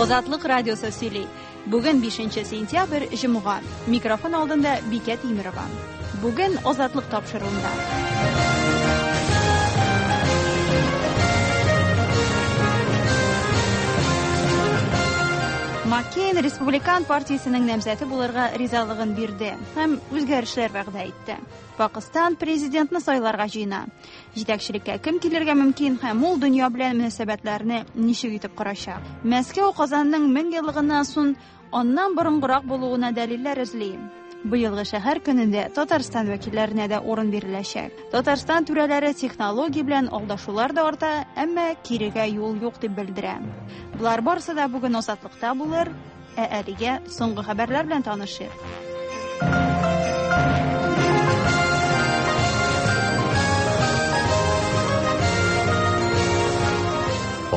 Азатлык радиосы сөйли. Бүген 5 сентябрь, җомга. Микрофон алдында Бикә Тимерова. Бүген Азатлык тапшыруында. Маккейн республикан партиясенең намзәте булырга ризалыгын бирде һәм үзгәрешләр вәгъдә итте. Пакыстан президентны сайларга җыена. Җитәкчелеккә кем килергә мөмкин һәм ул дөнья белән мөнәсәбәтләрне ничек итеп корачак? Мәскәү Казанның 1000 еллыгыннан соң аннан борынгырак булуына дәлилләр эзли. Быелгы шәһәр көнендә Татарстан вәкилләренә дә урын биреләчәк. Татарстан түрәләре технология белән алдашулар да арта, әмма кирегә юл юк дип белдерә. Болар барысы да бүген Азатлыкта булыр. Ә әлегә соңгы хәбәрләр белән танышыйк.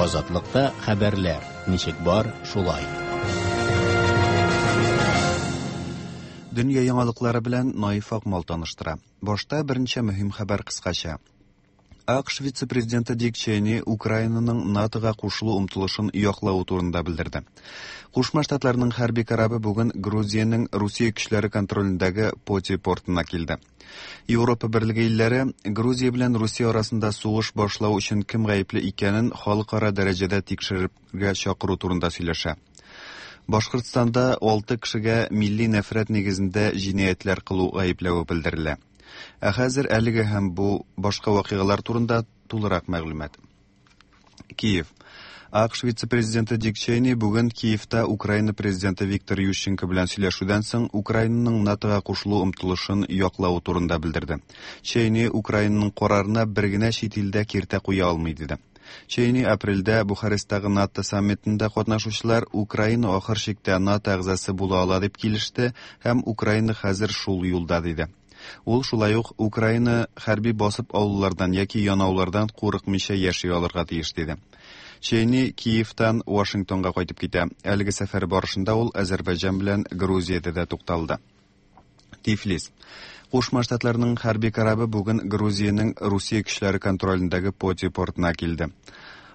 Азатлыкта хәбәрләр ничек бар, шулай. Дөнья яңалыклары белән Наиф Акмал таныштыра. Башта берничә мөһим хәбәр кыскача. АКШ вице-президенты Дик Чейни Украинаның НАТОга кушылу омтылышын яклавы турында белдерде. Кушма Штатларның хәрби корабы бүген Грузиянең Русия көчләре контролендәге Поти портына килде. Европа берлеге илләре Грузия белән Русия арасында сугыш башлау өчен кем гаепле икәнен халыкара дәрәҗәдә тикшерергә чакыру турында сөйләшә. Башкортстанда 6 кешегә милли нәфрәт нигезендә җинаятьләр кылу гаепләве белдерелә. Ә хәзер әлеге һәм бу башка вакыйгалар турында тулырак мәгълүмат. Киев. АКШ вице-президенты Дик Чейни бүген Киевта Украина президенты Виктор Ющенко белән сөйләшүдән соң Украинаның НАТОга кушылу омтылышын яклавы турында белдерде. Чейни Украинаның карарына бер генә чит илдә киртә куя алмый диде. Чейни апрельдә Бухаресттагы НАТО саммитында катнашучылар Украина ахыр чиктә НАТО әгъзасы була ала дип килеште һәм Украина хәзер шул юлда диде. Ул шулай ук Украина хәрби басып алулардан яки янаулардан курыкмыйча яши алырга тиеш диде. Чейни Киевтан Вашингтонга кайтып китә. Әлеге сәфәре барышында ул Азәрбайҗан белән Грузиядә дә тукталды. Тифлис. Кушма Штатларның хәрби корабы бүген Грузиянең Русия көчләре контролендәге Поти портына килде.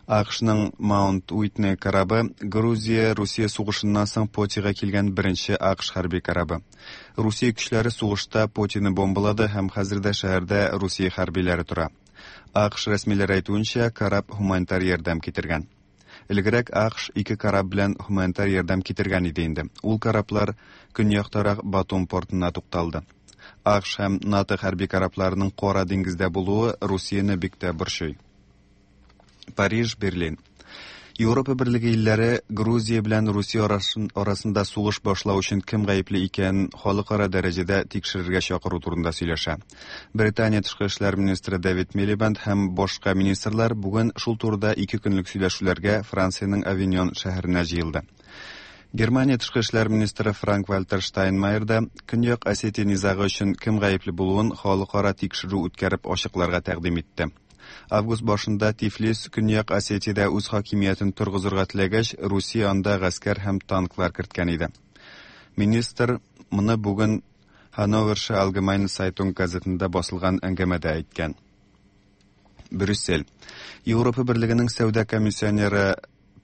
АКШның Маунт Уитни корабы Грузия-Русия сугышыннан соң Потига килгән беренче АКШ хәрби корабы. Русия көчләре сугышта Потины бомбалады һәм хәзер дә шәһәрдә Русия хәрбиләре тора. АКШ рәсмиләре әйтүенчә, кораб һуманитар ярдәм китергән. Элегрәк АКШ ике кораб белән һуманитар ярдәм китергән иде инде. Ул кораблар көньяктарак Батум портына тукталды. АКШ һәм НАТО хәрби корабларының Кара диңгездә булуы Русияне бик тә борчый. Париж, Берлин. Европа берлеге илләре Грузия белән Русия арасында сугыш башлау өчен кем гаепле икәнен халыкара дәрәҗәдә тикшерергә чакыру турында сөйләшә. Британия тышкы эшләр министры Дэвид Милибанд һәм башка министрлар бүген шул турыда ике көнлек сөйләшүләргә Франциянең Авиньон шәһәренә җыелды. Германия тышкы эшләр министры Франк-Вальтер Штайнмайер да Көньяк Осетия низагы өчен кем гаепле булуын халыкара тикшерү үткәреп ачыкларга тәкъдим итте. Август башында Тифлис Көньяк Осетиядә үз хакимиятен торгызырга теләгәч, Русия анда гаскәр һәм танклар керткән иде. Министр моны бүген Hannoversche Allgemeine Zeitung газетында басылган әңгәмәдә әйткән. Брюссель. Европа Берлегенең сәүдә комиссионеры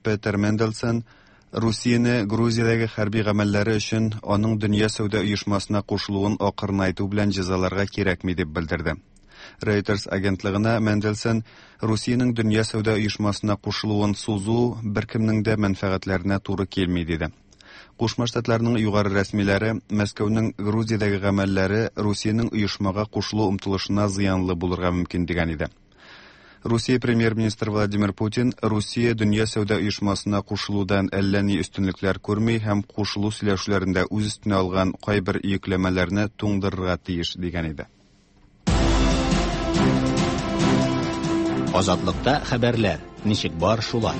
Петер Менделсон Русияне Грузиядәге хәрби гамәлләре өчен аның Дөнья сәүдә оешмасына кушылуын акрынайту белән җәзаларга кирәкми дип белдерде. Reuters агентлыгына Менделсон Русиянең Дөнья сәүдә оешмасына кушылуын сузу беркемнең дә мәнфәгатьләренә туры килми диде. Кушма Штатларның югары рәсмиләре Мәскәүнең Грузиядәге гамәлләре Русиянең оешмага кушылу омтылышына зыянлы булырга мөмкин дигән иде. Русия премьер-министры Владимир Путин Русия Дөнья сәүдә оешмасына кушылудан әллә ни өстенлекләр күрми һәм кушылу сөйләшүләрендә үз өстенә алган кайбер йөкләмәләрне туңдырырга тиеш дигән иде. Азатлыкта хәбәрләр ничек бар шулай.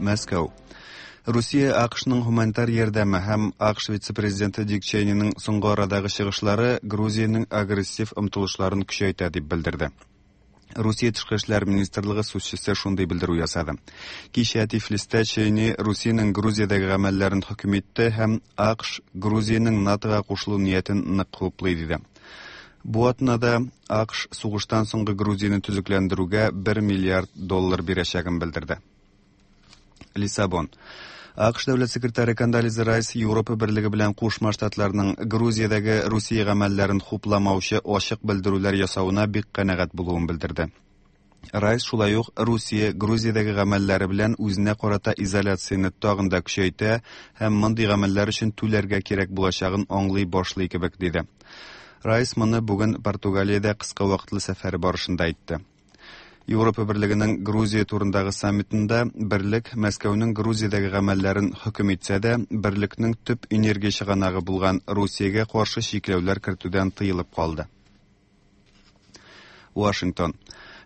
Мәскәү. Русия АКШның һуманитар ярдәме һәм АКШ вице-президенты Дик Чейниның соңгы арадагы чыгышлары Грузиянең агрессив омтылышларын көчәйтә дип белдерде. Русия тышкы эшләр министрлыгы сүзчесе шундый белдерү ясады. Кичә Тифлистә Чейни Русиянең Грузиядәге гамәлләрен хөкем итте һәм АКШ Грузиянең НАТОга кушылу ниятен нык хуплый диде. Бу атнада АКШ сугыштан соңгы Грузияне төзекләндерүгә 1 миллиард доллар бирәчәген белдерде. Лиссабон. АКШ дәүләт секретаре Кондолиза Райс Европа берлеге белән Кушма Штатларның Грузиядәге Русия гамәлләрен хупламаучы ачык белдерүләр ясавына бик канәгать булуын белдерде. Райс шулай ук Русия Грузиядәге гамәлләре белән үзенә карата изоляцияне тагын да көчәйтә һәм мондый гамәлләр өчен түләргә кирәк булачагын аңлый башлый кебек диде. Райс моны бүген Португалиядә кыска вакытлы сәфәре барышында әйтте. Европа берлегенең Грузия турындагы саммитында берлек Мәскәүнең Грузиядәге гамәлләрен хөкем итсә дә, берлекнең төп энергия чыганагы булган Русиягә каршы чикләүләр кертүдән тыелып калды. Вашингтон.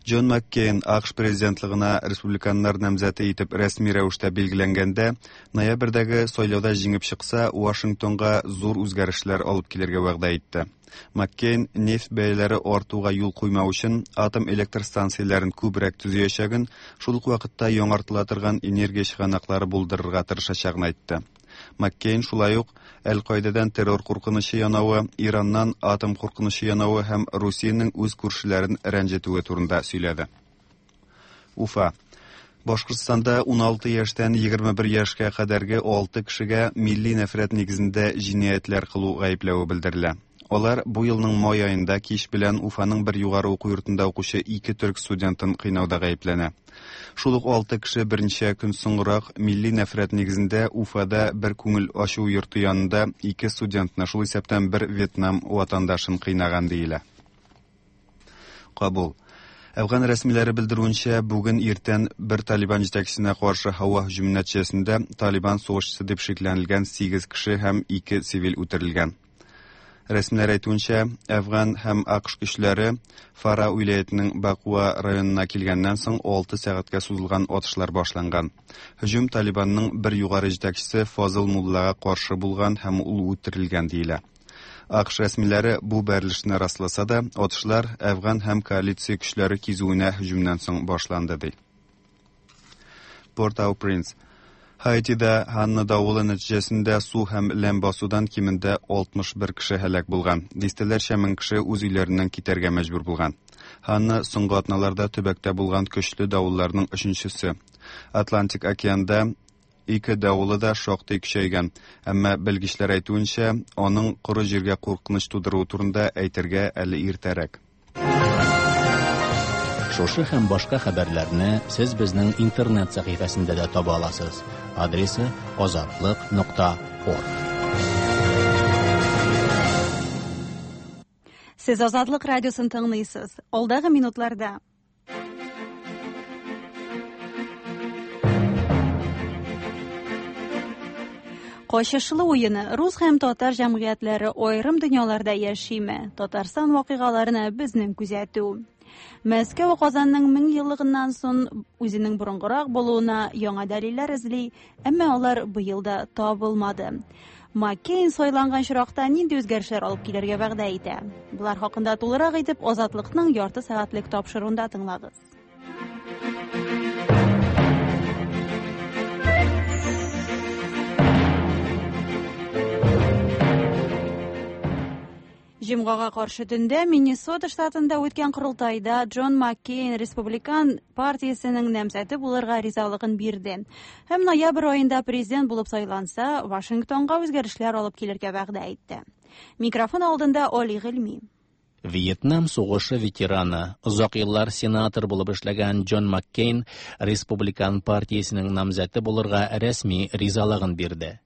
Джон Маккейн АКШ президентлыгына республиканнар намзәте итеп рәсми рәвештә билгеләнгәндә, ноябрьдәге сайлауда җиңеп чыкса, Вашингтонга зур үзгәрешләр алып килергә вәгъдә итте. Маккейн нефть бәяләре артуга юл куймау өчен атом электр станцияләрен күбрәк төзиячәген, шул ук вакытта яңартыла торган энергия чыганаклары булдырырга тырышачагын әйтте. Маккейн шулай ук Әл-Каидадан террор куркынычы янавы, Ираннан атом куркынычы янавы һәм Русиянең үз күршеләрен рәнҗетүе турында сөйләде. Уфа. Башкортстанда 16 яшьтән 21 яшькә кадәрге 6 кешегә милли нәфрәт нигезендә җинаятьләр кылу гаепләве белдерелә. Алар бу елның май аенда кич белән Уфаның бер югары уку йортында укучы ике төрк студентын кыйнауда гаепләнә. Шул ук 6 кеше берничә көн соңрак милли нәфрәт нигезендә Уфада бер күңел ачу йорты янында ике студентны, шул исәптән бер Вьетнам ватандашын кыйнаган диелә. Кабул. Әфган рәсмиләре белдерүенчә, бүген иртән бер Талибан җитәкчесенә каршы һава һөҗүме нәтиҗәсендә Талибан сугышчысы дип шикләнелгән 8 кеше һәм 2 цивиль үтерелгән. Рәсмиләр әйтүенчә, Әфган һәм АКШ көчләре Фара вилаятының Бакуа районына килгәннән соң 6 сәгатькә сузылган атышлар башланган. Һөҗүм Талибанның бер югары җитәкчесе Фазыл Муллага каршы булган һәм ул үтерелгән диелә. АКШ рәсмиләре бу бәрелешне расласа да, атышлар Әфган һәм коалиция көчләре кизүенә һөҗүмнән соң башланды ди. Порт-ау-Принс. Хаитида Ханна давылы нәтиҗәсендә су һәм ләм басудан кимендә 61 кеше һәлак булган. Дистәләрчә мең кеше үз өйләреннән китәргә мәҗбүр булган. Ханна соңгы атналарда төбәктә булган көчле давылларның өченчесе. Атлантик океанда ике давылы да шактый көчәйгән, әмма белгечләр әйтүенчә, аның коры җиргә куркыныч тудыруы турында әйтергә әле иртәрәк. Шушы һәм башка хәбәрләрне сез безнең интернет сәхифәсендә дә таба аласыз. Адресы azatliq.org. Сез Азатлык радиосын тыңлыйсыз. Алдагы минутларда Качышлы уены рус һәм татар җәмгыятьләре аерым дөньяларда яшиме? Татарстан вакыйгаларына безнең күзәтү. Мәскәү Казанның 1000 еллыгыннан соң үзенең борынгырак булуына яңа дәлилләр эзли, әмма алар быел да табылмады. Маккейн сайланган очракта нинди үзгәрешләр алып килергә вәгъдә итә? Булар хакында тулырак итеп Азатлыкның ярты сәгатьлек тапшыруында тыңлагыз. Җомгага каршы төндә Миннесота штатында үткән корылтайда Джон Маккейн Республикан партиясенең намзәте булырга ризалыгын бирде. Һәм ноябрь аенда президент булып сайланса, Вашингтонга үзгәрешләр алып килергә вәгъдә итте. Микрофон алдында Оли Гыйльми. Вьетнам сугышы ветераны, озак еллар сенатор булып эшләгән Джон Маккейн Республикан партиясенең намзәте булырга рәсми ризалыгын бирде.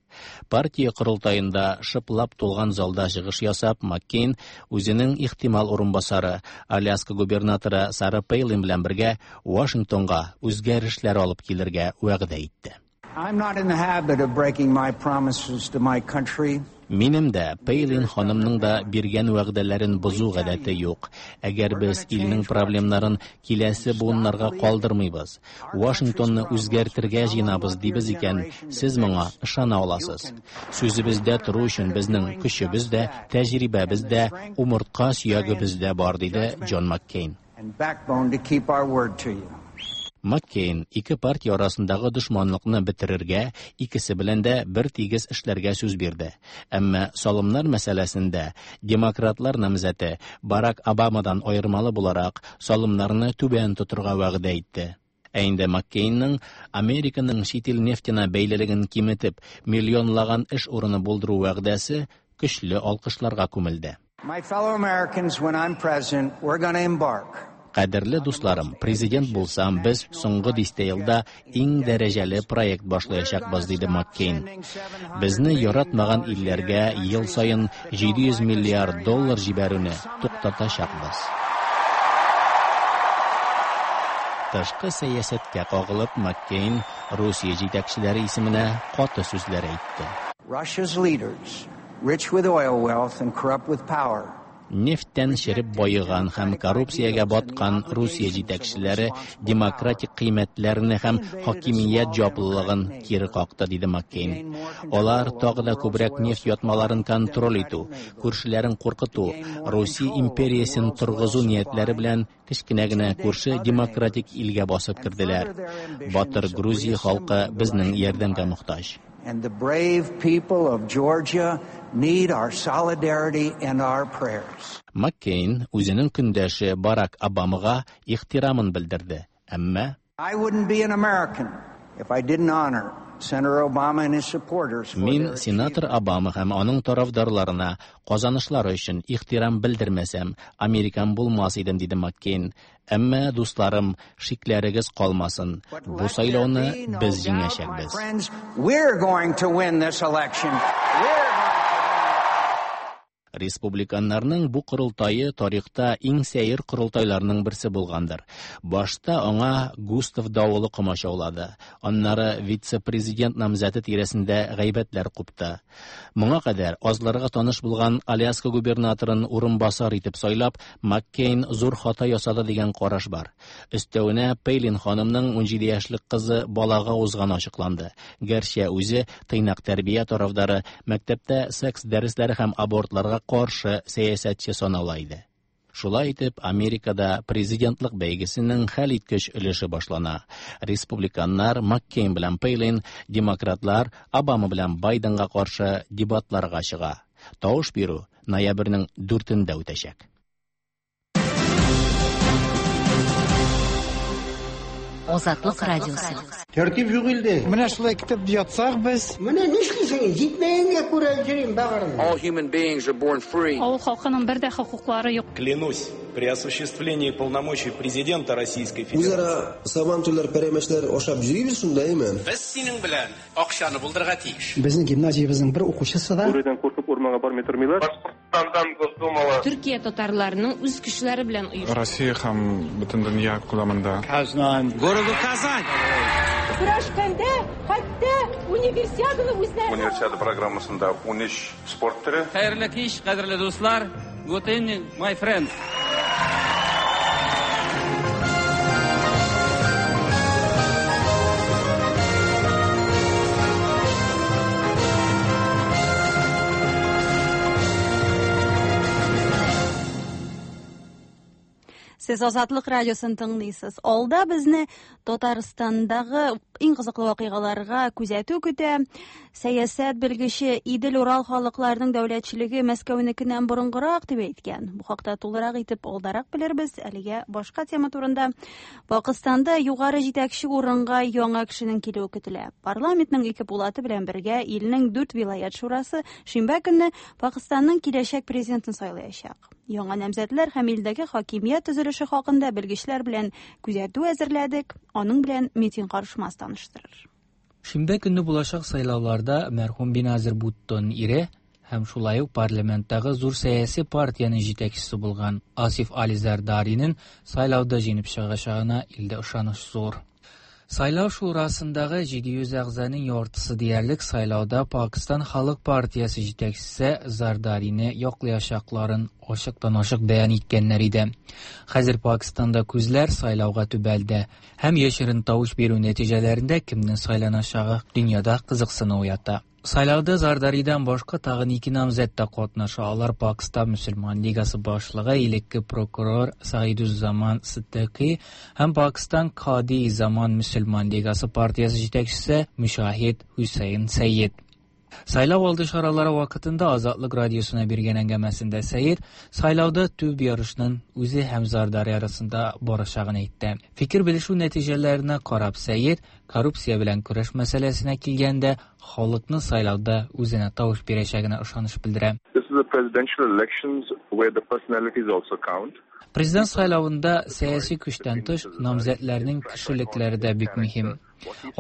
Партия корылтаенда шыплап тулган залда чыгыш ясап, Маккейн үзенең ихтимал урынбасары, Аляска губернаторы Сара Пейлин белән бергә Вашингтонга үзгәрешләр алып килергә вәгъдә итте. I'm not in the habit of breaking my promises to my country. Минем дә, Пейлин ханымның да биргән вәгъдәләрен бозу гадәте юк. Әгәр без илнең проблемнарын киләсе буыннарга калдырмыйбыз, Вашингтонны үзгәртергә җыенабыз дибез икән, сез моңа ышана аласыз. Сүзебездә тору өчен безнең көчебез дә, тәҗрибәбез дә, умыртка сөягебез дә бар, диде Джон Маккейн. And backbone to keep our word to you. Маккейн ике партия арасындагы дошманлыкны бетерергә, икесе белән дә бер тигез эшләргә сүз бирде. Әмма салымнар мәсьәләсендә демократлар намзәте Барак Обамадан аермалы буларак, салымнарны түбән тотырга вәгъдә итте. Ә инде Маккейнның Американың чит ил нефтенә бәйлелеген киметеп, миллионлаган эш урыны булдыру вәгъдәсе көчле алкышларга күмелде. My fellow Americans, when I'm president, we're going to embark Кадерле дусларым, президент булсам, без соңгы дистә елда иң дәрәҗәле проект башлаячакбыз, диде Маккейн. Безне яратмаган илләргә ел саен 700 миллиард доллар җибәрүне туктатачакбыз. Тышкы сәясәткә кагылып, Маккейн Русия җитәкчеләре исеменә каты сүзләр әйтте. Russia's leaders, rich with oil wealth and corrupt with power, Нефтьтән череп баеган һәм коррупциягә баткан Русия җитәкчеләре демократик кыйммәтләрне һәм хакимият җаваплылыгын кире какты, диде Маккейн. Алар тагы да күбрәк нефть ятмаларын контроль итү, күршеләрен куркыту, Русия империясен торгызу ниятләре белән кечкенә генә күрше демократик илгә басып керделәр. Батыр Грузия халкы безнең ярдәмгә мохтаҗ. And the brave people of Georgia need our solidarity and our prayers. Маккейн үзенең көндәше Барак Обамага ихтирамын белдерде. Әмма I wouldn't be an American if I didn't honor Senator Obama and his supporters for Мин their сенатор Обама һәм аның тарафдарларына казанышлары өчен ихтирам белдермәсәм, американ булмас идем, диде Маккейн. Әмма, дусларым, шикләрегез калмасын. But Бу let there сайлауны be no без doubt, my җиңәчәкбез. friends, we're going to win this election. We're going to Республиканнарның бу корылтае тарихта иң сәер корылтайларның берсе булгандыр. Башта аңа Густав Давылы комачаулады. Аннары вице-президент намзәте тирәсендә гайбәтләр купты. Моңа кадәр азларга таныш булган Аляска губернаторын урынбасар итеп сайлап, Маккейн зур хата ясады дигән караш бар. Өстәвенә Пейлин ханымның 17 яшьлек кызы балага узганы ачыкланды. Гәрчә үзе тыйнак тәрбия тарафдары, мәктәптә секс дәресләре һәм абортларга каршы сәясәтче санала иде. Шулай итеп, Америкада президентлык бәйгесенең хәлиткеч өлеше башлана. Республиканнар Маккейн белән Пейлин, демократлар Обама белән Байденга каршы дебатларга чыга. Тавыш бирү ноябрьнең 4-ндә үтәчәк. Азатлык радиосы. Тәртип юк илдә. Менә шулай көтеп ятсак без. Менә нишлисең? Җитмәгәнгә күрә йөрим бәгырем. All human beings are born free. Авыл халкының бер дә хокуклары юк. Клянусь, при осуществлении полномочий президента Российской Федерации. Үзара сабантуйлар, пәрәмәчләр ашап йөрибез шунда, әйме? Без синең белән акчаны булдырырга тиеш. Безнең гимназиябезнең бер укучысы да Бүредән куркып урманга бармый тормыйлар. Башкортстандан Госдумала. Төркия татарларының үз көчләре белән оештырган. Россия һәм бөтен дөнья күләмендә. Казан. Городу Казань. Көрәшкәндә хәтта универсиаданы үзләре. Универсиада программасында 13 спорт төре. Хәерле кич, кадерле дуслар. Good evening, my friends. Сез Азатлык радиосын тыңлыйсыз. Алда безне Татарстандагы иң кызыклы вакыйгаларга күзәтү көтә. Сәясәт белгече Идел Урал халыкларының дәүләтчелеге Мәскәүнекеннән борынгырак дип әйткән. Бу хакта тулырак итеп алдарак белербез. Әлегә башка тема турында. Пакыстанда югары җитәкче урынга яңа кешенең килүе көтелә. Парламентның ике пулаты белән бергә илнең 4 вилаят шурасы шимбә көнне Пакыстанның киләчәк президентын сайлаячак. Яңа намзәтләр һәм илдәге хакимият төзелеше хакында белгечләр белән күзәтү әзерләдек. Аның белән Метин Карышмас таныштырыр. Шимбә көнне булачак сайлауларда мәрхүм Беназир Буттоның ире һәм шулай ук парламенттагы зур сәяси партиянең җитәкчесе булган Асиф Али Зардаринең сайлауда җиңеп чыгачагына илдә ышаныч зур. Сайлау шурасындагы 700 әгъзаның яртысы диярлек сайлауда Пакистан Халык партиясе җитәкчесе Зардарины яклаячакларын ачыктан-ачык бәян иткәннәр иде. Хәзер Пакистанда күзләр сайлауга төбәлде һәм яшерен тавыш бирү нәтиҗәләрендә кемнең сайланачагы дөньяда кызыксыну уята. Сайлауда Зардаридан башка тагын ике намзәт тә катнаша. Алар Пакстан мөселман лигасы башлыгы, элекке прокурор Саидуззаман Сиддикый һәм Пакстан Кади Заман мөселман лигасы партиясе җитәкчесе Мөшаһид Хөсәен Сәйед. Сайлау алды чаралары вакытында Азатлык радиосына биргән әңгәмәсендә Сәйед сайлауда төп ярышның үзе һәм Зардари арасында барачагын әйтте. Фикер белешү нәтиҗәләренә карап, Сәйед коррупция белән көрәш мәсьәләсенә килгәндә халыкны сайлауда үзенә тавыш бирәчәгенә ышаныч белдерә. This is a presidential elections where the personalities also count. Президент сайлавында сәяси көчтән тыш намзәтләрнең кешелекләре дә бик мөһим.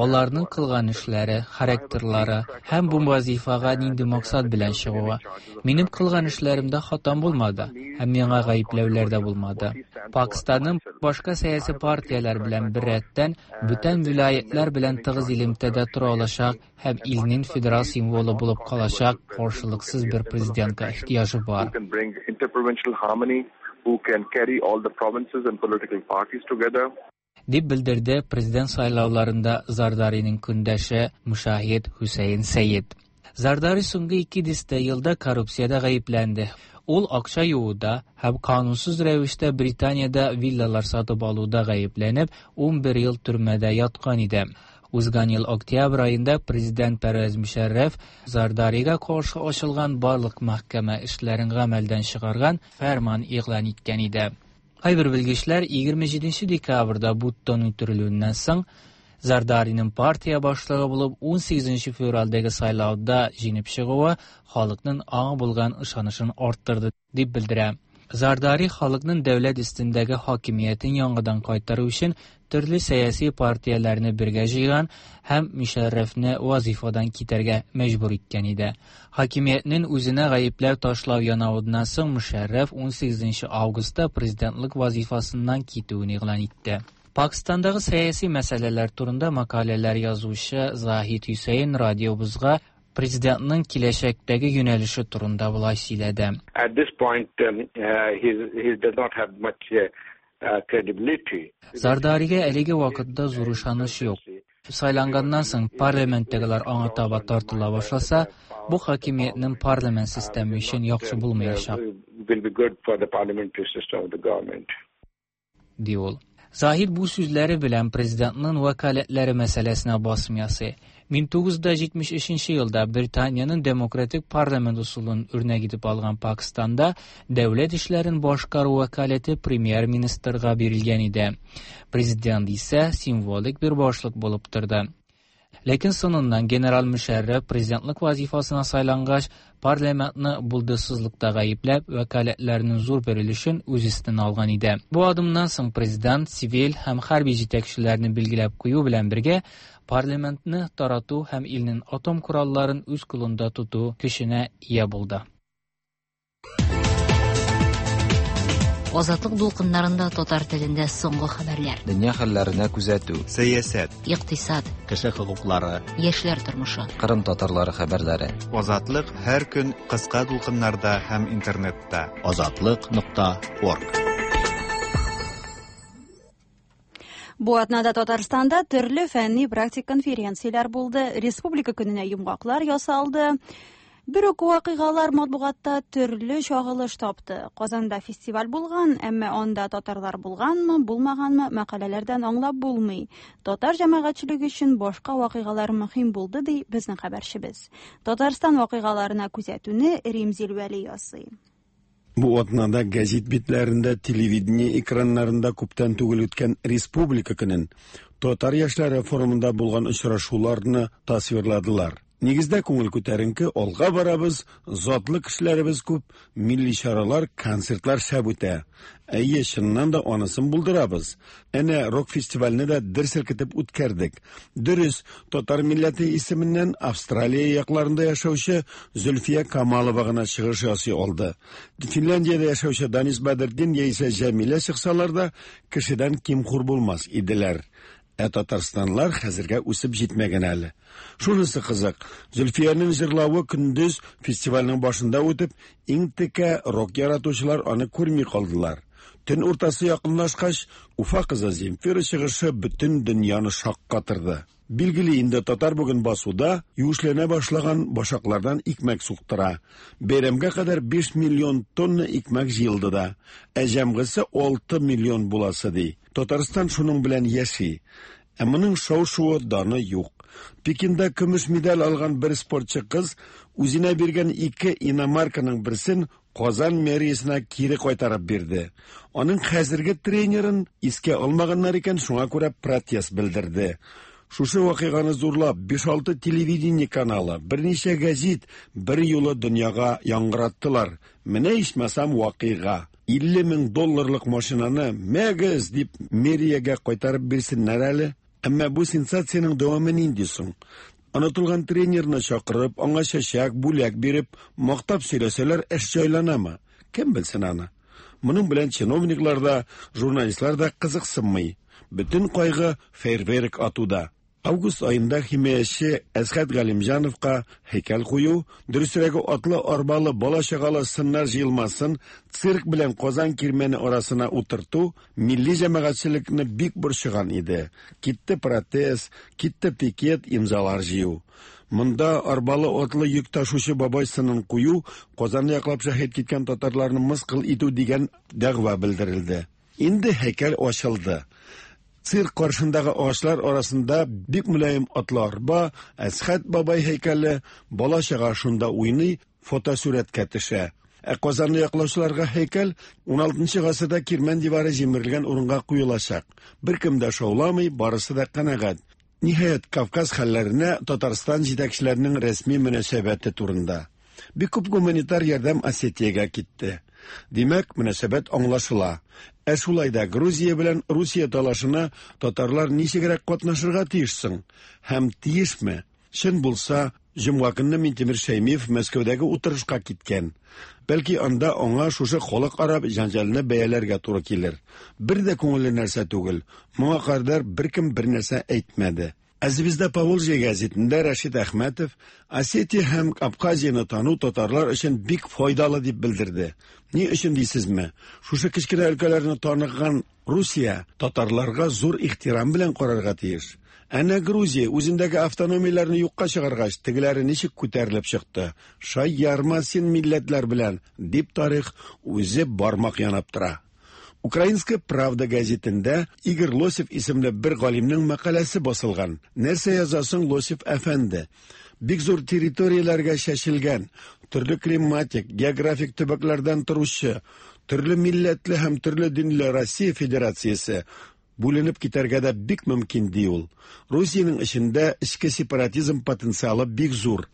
Аларның кылган эшләре, характерлары һәм бу вазифага нинди максат белән чыгуы. Минем кылган эшләремдә хатам булмады һәм миңа гаепләүләр дә булмады. Пакистанның башка сәяси партияләр белән беррәттән бүтән вилаятлар белән тыгыз элемтәдә тора алачак һәм илнең федерал символы булып калачак каршылыксыз бер президентка ихтыяҗы бар. Who can bring interprovincial harmony, who can carry all the provinces and political parties together. Дип белдерде президент сайлауларында Зардариның көндәше Мушахид Хөсәен Сәйед. Зардари соңгы ике дистә елда коррупциядә гаепләнде. Ул акча юуда һәм канунсыз рәвештә Британиядә виллалар сатып алуда гаепләнеп, 11 ел төрмәдә яткан иде. Узган ел октябрь аенда президент Пәрвәз Мөшәррәф Зардарига каршы ачылган барлык мәхкәмә эшләрен гамәлдән чыгарган фәрман игълан иткән иде. Кайбер белгечләр 27 декабрьдә Буттон үтерелүеннән соң Зардариның партия башлыгы булып 18 февральдәге сайлауда җиңеп чыгуы халыкның аңа булган ышанычын арттырды дип белдерә. Зардари халыкның дәүләт өстендәге хакимиятен яңадан кайтару өчен төрле сәяси партияләрне бергә җыйган һәм Мөшәррәфне вазифадан китәргә мәҗбүр иткән иде. Хакимиятнең үзенә гаепләү ташлау янавыннан соң Мөшәррәф 18 августта президентлык вазифасыннан китүен игълан итте. Пакистандагы сәяси мәсьәләләр турында мәкаләләр язучы Заһид Хөсәен радиобызга президентның киләчәктәге юнәлеше турында болай сөйләде. At this point, he does not have much credibility. Зардаригә әлеге вакытта зур ышаныч юк. Сайланганнан соң парламенттагылар аңа таба тартыла башласа, бу хакимиятнең парламент системы өчен яхшы булмаячак. Will be good for the parliamentary system of the government. Ди ул. Заһид бу сүзләре белән президентның вәкаләтләре мәсьәләсенә басым ясый. 1973 елда Британиянең демократик парламент ысулын үрнәк итеп алган Пакистанда дәүләт эшләрен башкару вәкаләте премьер-министрга бирелгән иде. Президент исә символик бер башлык булып торды. Ләкин соңыннан генерал Мөшәррәф президентлык вазифасына сайлангач, парламентны булдыксызлыкта гаепләп, вәкаләтләренең зур бер өлешен үз өстенә алган иде. Бу адымнан соң президент цивиль һәм хәрби җитәкчеләрне билгеләп кую белән бергә парламентны тарату һәм илнең атом коралларын үз кулында тоту көченә ия булды. Азатлык дулкыннарында татар телендә соңгы хәбәрләр. Дөнья хәлләренә күзәтү. Сәясәт. Икътисад. Кеше хокуклары. Яшьләр тормышы. Кырым татарлары хәбәрләре. Азатлык һәр көн кыска дулкыннарда һәм интернетта. Азатлык.орг. Бу атнада Татарстанда төрле фәнни практик конференцияләр булды, Республика көненә йомгаклар ясалды. Бер үк вакыйгалар матбугатта төрле чагылыш тапты. Казанда фестиваль булган, әмма анда татарлар булганмы, булмаганмы мәкаләләрдән аңлап булмый. Татар җәмәгатьчелеге өчен башка вакыйгалар мөһим булды, ди безнең хәбәрчебез. Татарстан вакыйгаларына күзәтүне Римзил Вәли ясый. Бу атнада гәзит битләрендә, телевидение экраннарында күптән түгел үткән Республика көнен, татар яшьләре форумында булган очрашуларны тасвирладылар. Нигездә күңел күтәренке, алга барабыз, затлы кешеләребез күп, милли чаралар, концертлар шәп үтә. Әйе, чыннан да анысын булдырабыз. Әнә рок-фестивальне дә дер селкетеп үткәрдек. Дөрес, татар милләте исеменнән Австралия якларында яшәүче Зөлфия Камалова гына чыгыш ясый алды. Финляндиядә яшәүче Данис Бәдертдин яисә Җәмилә чыксалар да, кешедән ким-хур булмас иделәр. Ә татарстанлар хәзергә үсеп җитмәгән әле. Шунысы кызык, Зөлфиянең җырлавы көндез фестивальнең башында үтеп, иң текә рок яратучылар аны күрми калдылар. Төн уртасы якынлашкач, Уфа кызы Земфира чыгышы бөтен дөньяны шаккатырды. Билгеле инде, татар бүген басуда юешләнә башлаган башаклардан икмәк суктыра. Бәйрәмгә кадәр 5 миллион тонна икмәк җыелды да, ә җәмгысе 6 миллион буласы ди. Татарстан шуның белән яши. Ә моның шау-шуы, даны юк. Пекинда көмеш медаль алган бер спортчы кыз үзенә биргән ике иномарканың берсен Казан мэриясенә кире кайтарып бирде. Аның хәзерге тренерын искә алмаганнар икән, шуңа күрә протест белдерде. Шушы вакыйганы зурлап, 5-6 телевидение каналы, берничә гәзит бер юлы дөньяга яңгыраттылар. Менә ичмасам вакыйга. 50 мең долларлык машинаны мәгез дип мэриягә кайтарып бирсеннәр әле. Әмма бу сенсациянең дәвамы нинди соң? Онытылган тренерны чакырып, аңа чәчәк, бүләк биреп, мактап сөйләсәләр, эш җайланамы? Кем белсен аны? Моның белән чиновниклар да, журналистлар да кызыксынмый. Бөтен кайгы фейерверк атуда. Август аенда химияче Әсхәт Галимҗановка һәйкәл кую, дөресрәге атлы арбалы бала-чагалы сыннар җыелмасын цирк белән Казан кирмәне арасына утырту милли җәмәгатьчелекне бик борчыган иде. Китте протест, китте пикет, имзалар җыю. Монда арбалы атлы йөк ташучы бабай сынын кую, Казанны яклап шәһит киткән татарларны мыскыл итү дигән дәгъва белдерелде. Инде һәйкәл ачылды. Цирк каршындагы агачлар арасында бик мөлаем атлы арба, Әсхәт бабай һәйкәле, бала-чага шунда уйный, фотосурәткә төшә. Ә Казанны яклаучыларга һәйкәл 16 гасырда Кирмән дивары җимерелгән урынга куелачак. Беркем дә шауламый, барысы да канәгать. Ниһаять, Кавказ хәлләренә Татарстан җитәкчеләренең рәсми мөнәсәбәте турында. Бик күп гуманитар ярдәм Осетиягә китте. Димәк, мөнәсәбәт аңлашыла. Ә шулай да Грузия белән Русия талашына татарлар ничегрәк катнашырга тиеш соң? Һәм тиешме? Чын булса, җомга көнне Минтимер Шәймиев Мәскәүдәге утырышка киткән. Бәлки анда аңа шушы халыкара җәнҗалны бәяләргә туры килер. Бер дә күңелле нәрсә түгел. Моңа кадәр беркем бер нәрсә әйтмәде. Ә Звезда Поволжья гәзитендә Рәшит Әхмәтов Осетия һәм Абхазияне тану татарлар өчен бик файдалы дип белдерде. Ни өчен дисезме? Шушы кечкенә өлкәләрне таныган Русия татарларга зур ихтирам белән карарга тиеш. Әнә Грузия үзендәге автономияләрне юкка чыгаргач, тегеләре ничек күтәрелеп чыкты. Шаярма син милләтләр белән, дип тарих үзе бармак янап тора. Украинская правда гәзитендә Игорь Лосев исемле бер галимнең мәкаләсе басылган. Нәрсә яза соң Лосев әфәнде? Бик зур территорияләргә чәчелгән, төрле климатик, географик төбәкләрдән торучы, төрле милләтле һәм төрле динле Россия Федерациясе бүленеп китәргә дә бик мөмкин, ди ул. Русиянең эчендә эчке сепаратизм потенциалы бик зур.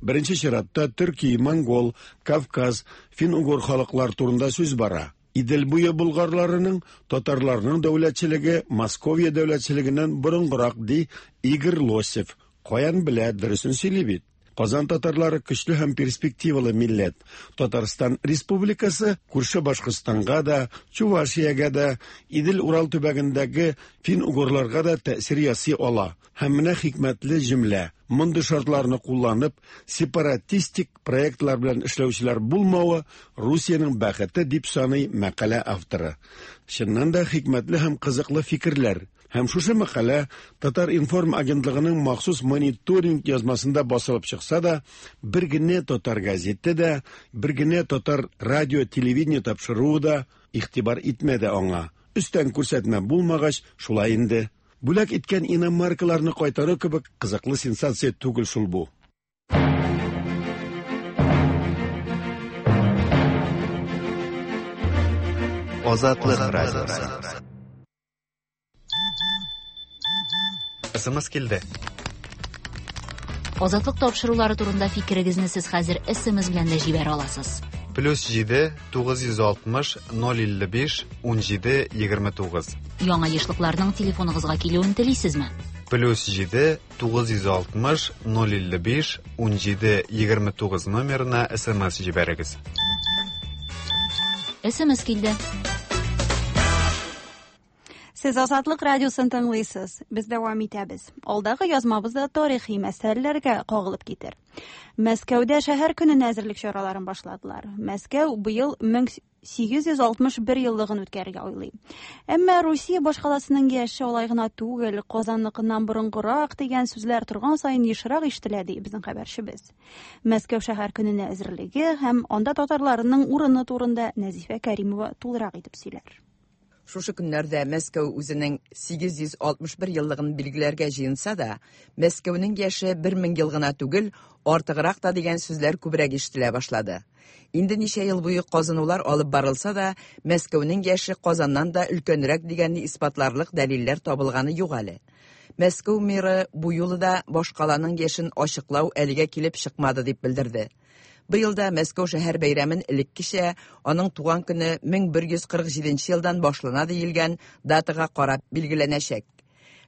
Беренче чиратта төрки, монгол, Кавказ, фин-угор халыклар турында сүз бара. Идел буе болгарларының, татарларның дәүләтчелеге Московия дәүләтчелегеннән борынгырак, ди Игорь Лосев. Каян белә, дөресен сөйли бит. Казан татарлары көчле һәм перспективалы милләт. Татарстан Республикасы күрше Башкортстанга да, Чувашиягә дә, Идел-Урал төбәгендәге фин-угорларга да тәэсир ясый ала. Һәм менә хикмәтле җөмлә. Мондый шартларны кулланып, сепаратистик проектлар белән эшләүчеләр булмавы Русиянең бәхете, дип саный мәкалә авторы. Чыннан да хикмәтле һәм кызыклы фикерләр. Һәм шушы мәкалә Татар-информ агентлыгының махсус мониторинг язмасында басылып чыкса да, бер генә татар газеты да, бер генә татар радио-телевидение тапшыруы да игътибар итмәде аңа. Өстән күрсәтмә булмагач, шулай инде. Бүләк иткән иномаркаларны кайтару кебек кызыклы сенсация түгел шул бу. Азатлык радиосы. СМС килде. Азатлык тапшырулары турында фикерегезне сез хәзер СМС белән дә җибәрә аласыз. Плюс 7 960 055 17 29. Яңа ешлыкларның телефоныгызга килүен телисезме? Плюс 7 960 055 17 29 номерына СМС җибәрегез. СМС килде. Сез Азатлык радиосын тыңлыйсыз. Без дәвам итәбез. Алдагы язмабыз да тарихи мәсьәләләргә кагылып китер. Мәскәүдә шәһәр көненә әзерлек чараларын башладылар. Мәскәү быел 1861 еллыгын үткәрергә уйлый. Әмма Русия башкаласының яше алай гына түгел, Казанныкыннан борынгырак дигән сүзләр торган саен ешрак ишетелә, ди безнең хәбәрчебез. Мәскәү шәһәр көненә әзерлеге һәм анда татарларының урыны турында Нәзифә Кәримова тулырак итеп сөйләр. Шушы көннәрдә Мәскәү үзенең 861 еллыгын билгеләргә җыенса да, Мәскәүнең яше 1000 ел гына түгел, артыграк та дигән сүзләр күбрәк ишетелә башлады. Инде ничә ел буе казынулар алып барылса да, Мәскәүнең яше Казаннан да өлкәнрәк дигәнне исбатларлык дәлилләр табылганы юк әле. Мәскәү мэры бу юлы да башкаланың яшен ачыклау әлегә килеп чыкмады дип белдерде. Быел да Мәскәү шәһәр бәйрәмен элеккечә аның туган көне 1147 елдан башлана диелгән датага карап билгеләнәчәк.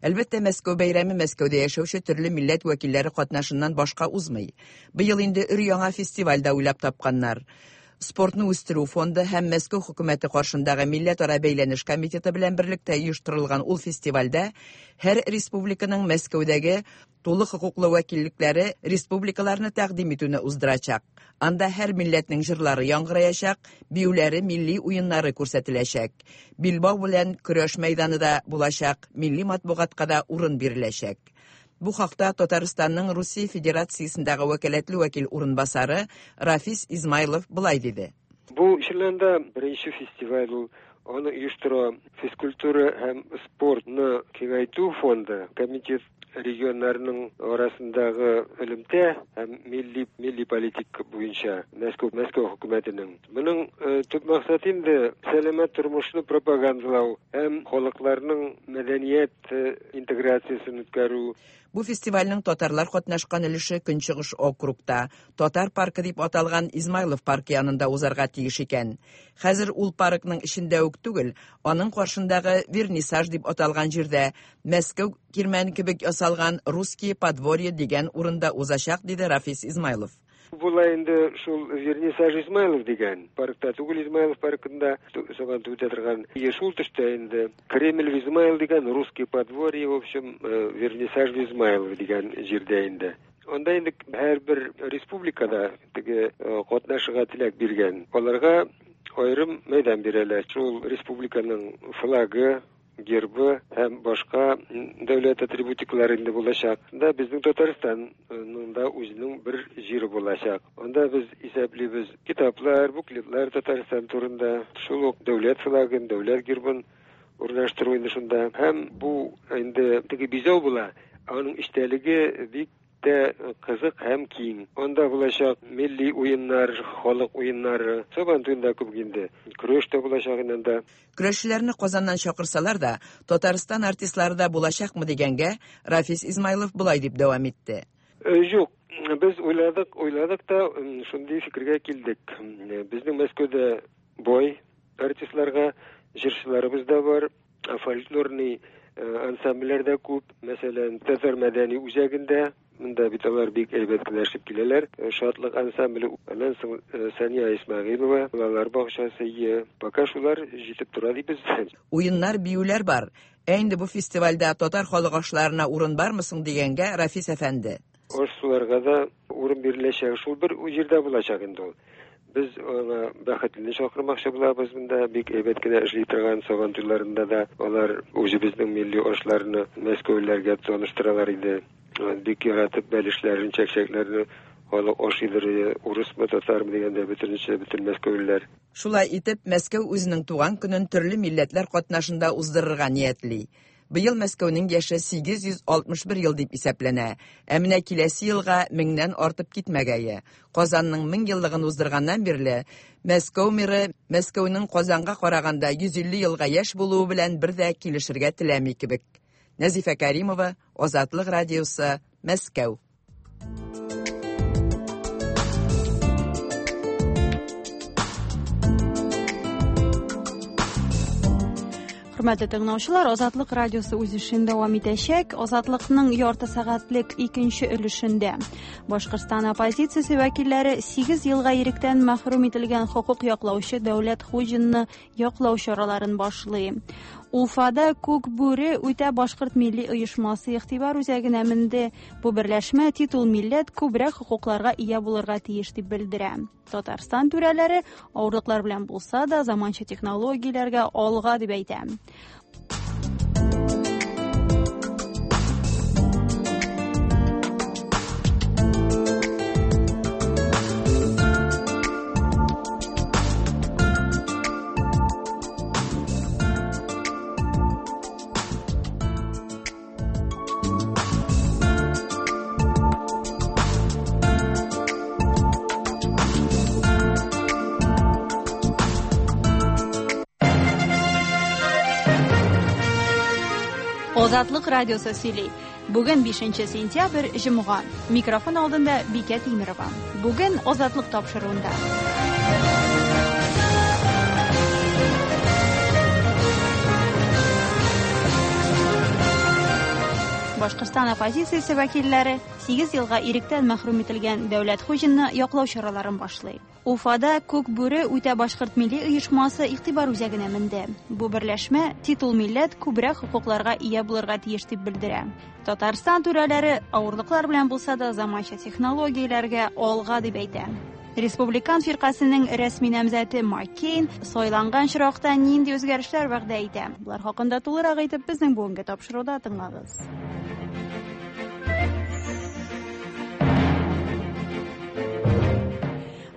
Әлбәттә, Мәскәү бәйрәме Мәскәүдә яшәүче төрле милләт вәкилләре катнашыннан башка узмый. Быел инде өр-яңа фестиваль дә уйлап тапканнар. Спортны үстерү фонды һәм Мәскәү хөкүмәте каршындагы милләтара бәйләнеш комитеты белән берлектә оештырылган ул фестивальдә һәр республиканың Мәскәүдәге Тулы хокуклы вәкиллекләре республикаларны тәкъдим итүне уздырачак. Анда һәр милләтнең җырлары яңгыраячак, биюләре, милли уеннары күрсәтеләчәк. Билбау белән көрәш мәйданы да булачак, милли матбугатка да урын биреләчәк. Бу хакта Татарстанның Русия Федерациясендәге вәкаләтле вәкил урынбасары Рафис Измайлов болай диде. Бу чыннан да беренче фестиваль ул. Аны оештыра физкультура һәм спортны киңәйтү фонды, комитет регионнарның арасындагы элемтә һәм милли милли политика буенча Мәскәү Мәскәү хөкүмәтенең. Моның э, төп максаты инде сәламәт тормышны пропагандалау һәм халыкларның мәдәният э, интеграциясен үткәрү. Бу фестивальнең татарлар катнашкан өлеше Көнчыгыш округта, Татар паркы дип аталган Измайлов паркы янында узарга тиеш икән. Хәзер ул паркның эчендә үк түгел, аның каршындагы Вернисаж дип аталган җирдә, Мәскәү кирмәне кебек ясалган Русские подворье дигән урында узачак, диде Рафис Измайлов. Була инде шул Вернисаж Измайлов дигән паркта түгел, Измайлов паркында Сабантуй үтә торган. И шул төштә инде Кремль в Измаил дигән, Русские подворье, в общем, э, Вернисаж в Измайлов дигән җирдә инде. Анда инде һәрбер республикада теге э, катнашырга теләк биргән. Аларга аерым мәйдан бирәләр. Шул республиканың флагы, гербы һәм башка дәүләт атрибутикалары инде булачак. Да безнең Татарстанның да үзенең бер җире булачак. Анда без исәплибез китаплар, буклетлар Татарстан турында, шул ук дәүләт флагын, дәүләт гербын урнаштыру инде шунда. Һәм бу инде теге бизәү була, аның эчтәлеге бик тә кызык һәм киң. Анда булачак милли уеннар, халык уеннары, Сабантуен да күп инде. Көрәш тә булачак инде анда. Көрәшчеләрне Казаннан чакырсалар да, Татарстан артистлары да булачакмы дигәнгә, Рафис Измайлов болай дип дәвам итте. Э, юк, без уйладык, уйладык та шундый фикергә килдек. Безнең Мәскәүдә бай артистларга җырчыларыбыз да бар, фольклорный э, ансамбльләр дә күп. Мәсәлән, Татар мәдәни үзәгендә монда бит алар бик әйбәт кенә эшләп киләләр. Э, Шатлык ансамбле, аннан соң э, Сания Исмәгыйлова, балалар бакчасы, пока шулар җитеп тора дибез. Уеннар, биюләр бар. Ә инде бу фестивальдә татар халык ашларына урын бармы соң дигәнгә Рафис әфәнде. Аш-суларга да урын биреләчәк. Шул бер җирдә булачак инде ул. Без аңа Бәхетлене чакырмакчы булабыз монда. Бик әйбәт кенә эшли торган Сабан туйларында да алар үзебезнең милли ашларны мәскәүлеләргә таныштыралар иде. Бик яратып бәлешләрен, чәкчәкләрне халык ашыйдыр, урысмы, татармы дигәндә бөтенесе, бөтен мәскәүлеләр. Шулай итеп, Мәскәү үзенең туган көнен төрле милләтләр катнашында уздырырга ниятли. Быел Мәскәүнең яше 861 ел дип исәпләнә, ә менә киләсе елга меңнән артып китмәгәе. Казанның 1000 еллыгын уздырганнан бирле Мәскәү мэры Мәскәүнең Казанга караганда 150 елга яшь булуы белән бер дә килешергә теләми кебек. Нәзифә Кәримова, Азатлык радиосы, Мәскәү. Хөрмәтле тыңлаучылар, Азатлык радиосы үз эшен дәвам итәчәк. Азатлыкның ярты сәгатьлек икенче өлешендә Башкортстан оппозициясе вәкилләре 8 елга иректән мәхрүм ителгән хокук яклаучы Дәүләт Хуҗинны яклау чараларын башлый. Уфада Күк бүре үтә башкорт милли оешмасы игътибар үзәгенә менде. Бу берләшмә титул милләт күбрәк хокукларга ия булырга тиеш дип белдерә. Татарстан түрәләре авырлыклар белән булса да заманча технологияләргә алга дип әйтә. Азатлык радиосы сөйли. Бүген 5 сентябрь, җомга. Микрофон алдында Бикә Тимерова. Бүген Азатлык тапшыруында. Башкортстан оппозициясе вәкилләре 8 елга иректән мәхрүм ителгән Дәүләт Хуҗинны яклау чараларын башлый. Уфада Күк бүре үтә башкорт милли оешмасы игътибар үзәгенә менде. Бу берләшмә титул милләт күбрәк хокукларга ия булырга тиеш дип белдерә. Татарстан түрәләре авырлыклар белән булса да заманча технологияләргә алга дип әйтә. Республикан фиркасының рәсми намзәте Маккейн сайланган очракта нинди үзгәрешләр вәгъдә итә? Болар хакында тулырак итеп безнең бүгенге тапшыруда тыңлагыз.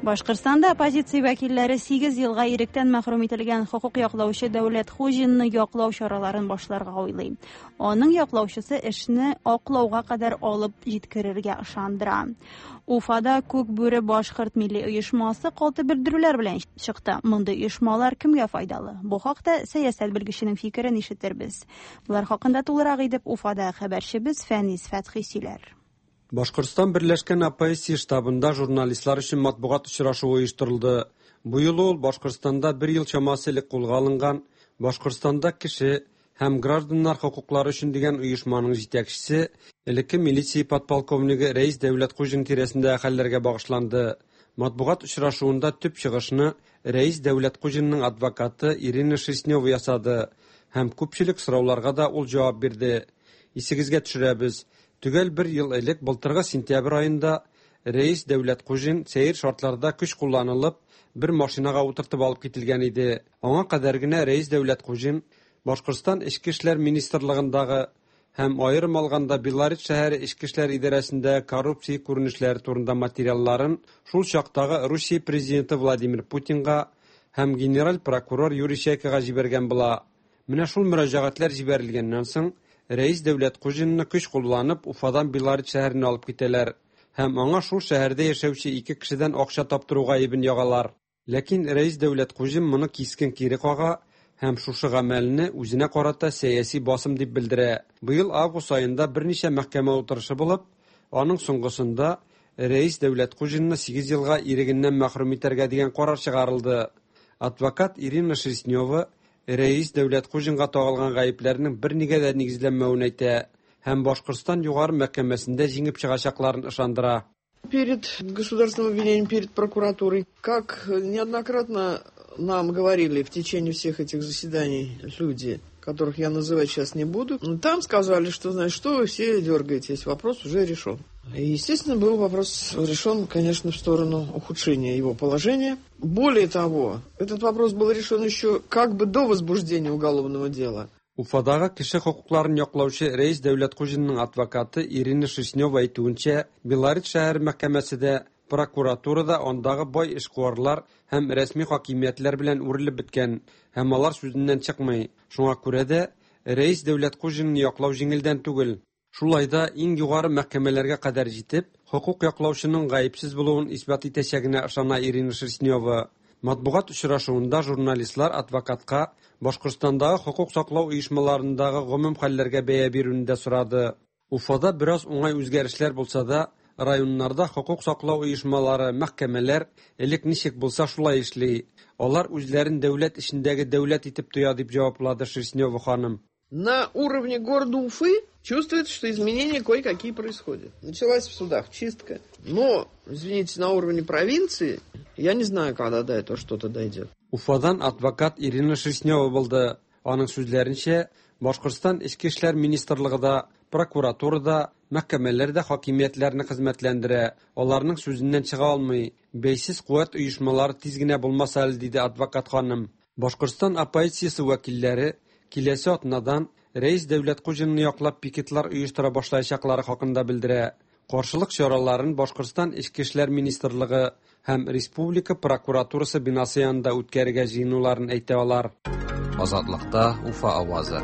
Башкортстанда оппозиция вәкилләре 8 елга иректән мәхрүм ителгән хокук яклаучы Дәүләт Хуҗинны яклау чараларын башларга уйлый. Аның яклаучысы эшне аклауга кадәр алып җиткерергә ышандыра. Уфада Күк бүре башкорт милли оешмасы каты белдерүләр белән чыкты. Мондый оешмалар кемгә файдалы? Бу хакта сәясәт белгеченең фикерен ишетербез. Болар хакында тулырак итеп Уфада хәбәрчебез Фәнис Фәтхи сөйләр. Башкортстан Берләшкән оппозиция штабында журналистлар өчен матбугат очрашуы оештырылды. Бу юлы ул Башкортстанда бер ел чамасы элек кулга алынган Башкортстанда кеше һәм гражданнар хокуклары өчен дигән оешманың җитәкчесе, элекке милиция подполковнигы Рәис Дәүләткуҗин тирәсендәге хәлләргә багышланды. Матбугат очрашуында төп чыгышны Рәис Дәүләткуҗинның адвокаты Ирина Шерстнева ясады һәм күпчелек сорауларга да ул җавап бирде. Исегезгә төшерәбез, төгәл бер ел элек былтыргы сентябрь аенда Рәис Дәүләткуҗин сәер шартларда көч кулланылып, бер машинага утыртып алып кителгән иде. Аңа кадәр генә Рәис Дәүләткуҗин Башкортстан Эчке эшләр министрлыгындагы һәм аерым алганда Белорет шәһәре Эчке эшләр идарәсендә коррупция күренешләре турында материалларын шул чактагы Русия президенты Владимир Путинга һәм генераль прокурор Юрий Чайкага җибәргән була. Менә шул мөрәҗәгатьләр җибәрелгәннән соң Рәис Дәүләткуҗинны көч кулланып Уфадан Белорет шәһәренә алып китәләр һәм аңа шул шәһәрдә яшәүче ике кешедән акча таптыру гаебен ягалар. Ләкин Рәис Дәүләткуҗин моны кискен кире кага һәм шушы гамәлне үзенә карата сәяси басым дип белдерә. Быел август аенда берничә мәхкәмә утырышы булып, аның соңгысында Рәис Дәүләткуҗинны 8 елга ирегеннән мәхрүм итәргә дигән карар чыгарылды. Адвокат Ирина Шерстнева Рәис Дәүләткуҗинга тагылган гаепләрнең бернигә дә нигезләнмәвен әйтә һәм Башкортстан югары мәхкәмәсендә җиңеп чыгачакларын ышандыра. Перед государственным обвинением, перед прокуратурой, как неоднократно нам говорили в течение всех этих заседаний люди, которых я называть сейчас не буду, там сказали, что, значит, что вы все дергаетесь, вопрос уже решен. И, естественно, был вопрос решен, конечно, в сторону ухудшения его положения. Более того, этот вопрос был решен еще как бы до возбуждения уголовного дела. Уфадагы кеше хокукларын яклаучы Рәис Дәүләткуҗинның адвокаты Ирина Шерстнева әйтүенчә, Белорет шәһәре мәхкәмәсе дә, прокуратура да андагы бай эшкуарлар һәм рәсми хакимиятләр белән үрелеп беткән һәм алар сүзеннән чыкмый. Шуңа күрә дә Рәис Дәүләткуҗинны яклау җиңелдән түгел. Шулай да иң югары мәхкәмәләргә кадәр җитеп, хокук яклаучының гаепсез булуын исбат итәчәгенә ышана Ирина Шерстнева. Матбугат очрашуында журналистлар адвокатка Башкортстандагы хокук саклау оешмаларындагы гомум хәлләргә бәя бирүне дә сорады. Уфада бераз уңай үзгәрешләр булса да, районнарда хокук саклау оешмалары, мәхкәмәләр элек ничек булса шулай эшли. Алар үзләрен дәүләт эчендәге дәүләт итеп тоя, дип җаваплады Шерстнева ханым. На уровне города Уфы чувствуется, что изменения кое-какие происходят. Началась в судах чистка. Но, извините, на уровне провинции, я не знаю, когда до этого что-то дойдет. Уфадан адвокат Ирина Шерстнева булды. Аның сүзләренчә, Башкортстан Эчке эшләр министрлыгы да, прокуратура да, мәхкәмәләр дә хакимиятләрне хезмәтләндерә, аларның сүзеннән чыга алмый. Бәйсез куәт оешмалары тиз генә булмаса әле, диде адвокат ханым. Башкортстан оппозициясе вәкилләре киләсе атнадан Рәис Дәүләткуҗинны яклап пикетлар оештыра башлаячаклары хакында белдерә. Каршылык чараларын Башкортстан Эчке эшләр министрлыгы һәм республика прокуратурасы бинасы янында үткәрергә җыенуларын әйтә алар. Азатлыкта Уфа авазы.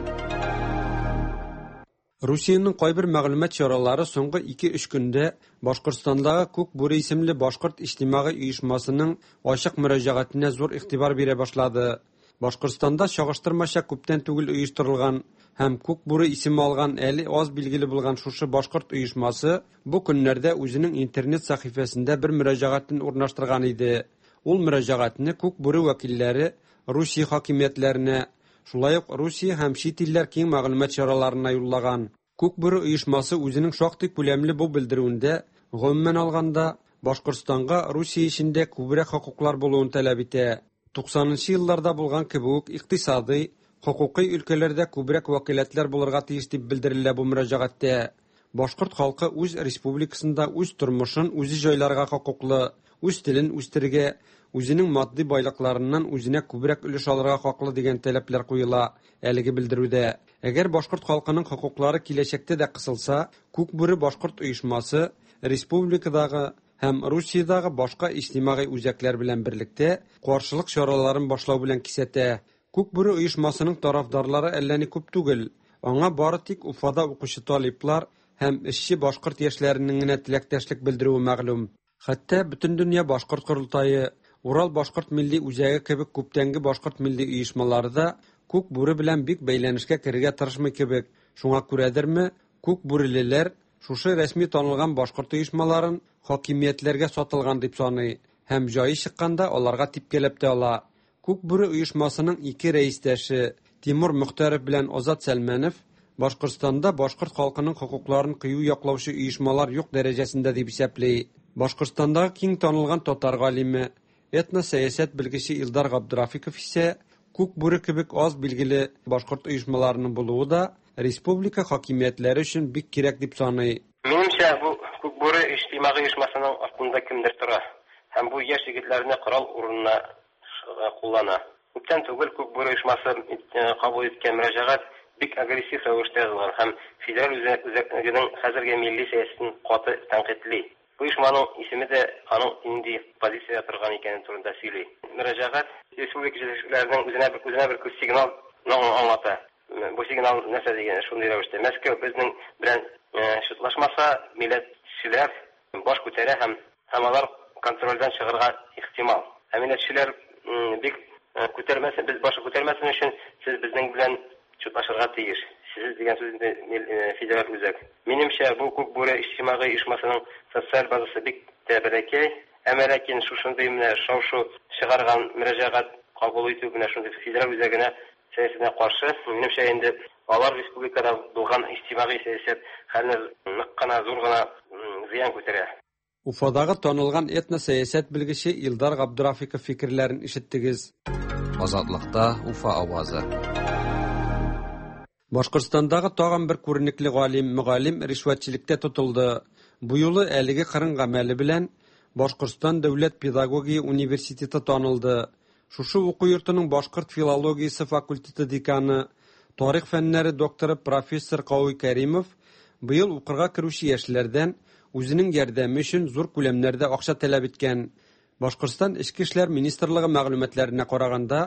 Русиянең кайбер мәгълүмат чаралары соңгы 2-3 көндә Башкортстандагы Күк бүре исемле башкорт иҗтимагый оешмасының ачык мөрәҗәгатенә зур игътибар бирә башлады. Башкортстанда чагыштырмача күптән түгел оештырылган һәм Күк бүре исеме алган әле аз билгеле булган шушы башкорт оешмасы бу көннәрдә үзенең интернет сәхифәсендә бер мөрәҗәгатен урнаштырган иде. Ул мөрәҗәгатьне Күк бүре вәкилләре Русия хакимиятләренә, шулай ук Русия һәм чит илләр киң мәгълүмат чараларына юллаган. Күк бүре оешмасы үзенең шактый күләмле бу белдерүендә, гомумән алганда, Башкортстанга Русия эчендә күбрәк хокуклар булуын таләп итә. 90 нчы елларда булган кебек үк икътисадый, хокукый өлкәләрдә күбрәк вәкаләтләр булырга тиеш дип белдерелә бу мөрәҗәгатьтә. Башкорт халкы үз республикасында үз тормышын үзе җайларга хокуклы, үз телен үстерергә, үзенең матди байлыкларыннан үзенә күбрәк өлеш алырга хаклы дигән таләпләр куела әлеге белдерүдә. Әгәр башкорт халкының хокуклары киләчәктә дә кысылса, Күк бүре башкорт оешмасы республикадагы һәм Русиядагы башка иҗтимагый үзәкләр белән берлектә каршылык чараларын башлау белән кисәтә. Күк бүре оешмасының тарафдарлары әллә ни күп түгел. Аңа бары тик Уфада укучы талиплар һәм эшче башкорт яшьләренең генә теләктәшлек белдерүе мәгълүм. Хәтта Бөтендөнья башкорт корылтае, Урал башкорт милли үзәге кебек күптәнге башкорт милли оешмалары да Күк бүре белән бик бәйләнешкә керергә тырышмый кебек. Шуңа күрәдерме, Күк бүрелеләр шушы рәсми танылган башкорт оешмаларын хакимиятләргә сатылган дип саный һәм җае чыкканда аларга типкәләп тә ала. Күк бүре оешмасының ике рәистәше Тимур Мөхтәров белән Азат Сәлмәнов Башкортстанда башкорт халкының хокукларын кыю яклаучы оешмалар юк дәрәҗәсендә дип исәпли. Башкортстандагы киң танылган татар галиме, этносәясәт белгече Илдар Габдрафиков исә Күк бүре кебек аз билгеле башкорт оешмаларының булуы да республика хакимиятләре өчен бик кирәк дип саный. Минемчә, бу Күк бүре иҗтимагый оешмасының артында кемдер тора һәм бу яшь егетләрне корал урынына куллана. Күптән түгел Күк бүре оешмасы кабул иткән мөрәҗәгать бик агрессив рәвештә язылган һәм федераль үзәгенең хәзерге милли сәясәтен каты тәнкыйтьли. Бу оешманың исеме дә аның нинди позициядә торган икәне турында сөйли. Мөрәҗәгать республика җитәкчеләренең үзенә бер үзенә бер сигнал аңлата. Бу сигнал нәрсә дигән шундый рәвештә: Мәскәү безнең белән чутлашмаса, милләтчеләр баш күтәрә һәм һәм алар контрольдән чыгарга ихтимал. Ә милләтчеләр бик күтәрмәсен, без башы күтәрмәсен өчен сез безнең белән чутлашырга тиеш. Сез дигән сүз инде федераль үзәк. Минемчә, бу Күк бүре иҗтимагый оешмасының социаль базасы бик тә бәләкәй. Әмма ләкин шушындый менә шау-шу чыгарган мөрәҗәгать кабул итү менә шундый федераль үзәгенә сәясәтенә каршы, минемчә инде алар республикада булган иҗтимагый сәясәт хәленә нык кына, зур гына зыян күтәрә. Уфадагы танылган этносәясәт белгече Илдар Габдрафиков фикерләрен ишеттегез. Азатлыкта Уфа авазы. Башкортстандагы тагын бер күренекле галим, мөгаллим ришвәтчелектә тотылды. Бу юлы әлеге кырын гамәле белән Башкортстан дәүләт педагогия университеты танылды. Шушы уку йортының башкорт филологиясе факультеты деканы, тарих фәннәре докторы профессор Кауи Кәримов быел укырга керүче яшьләрдән үзенең ярдәме өчен зур күләмнәрдә акча таләп иткән. Башкортстан Эчке эшләр министрлыгы мәгълүматларына караганда,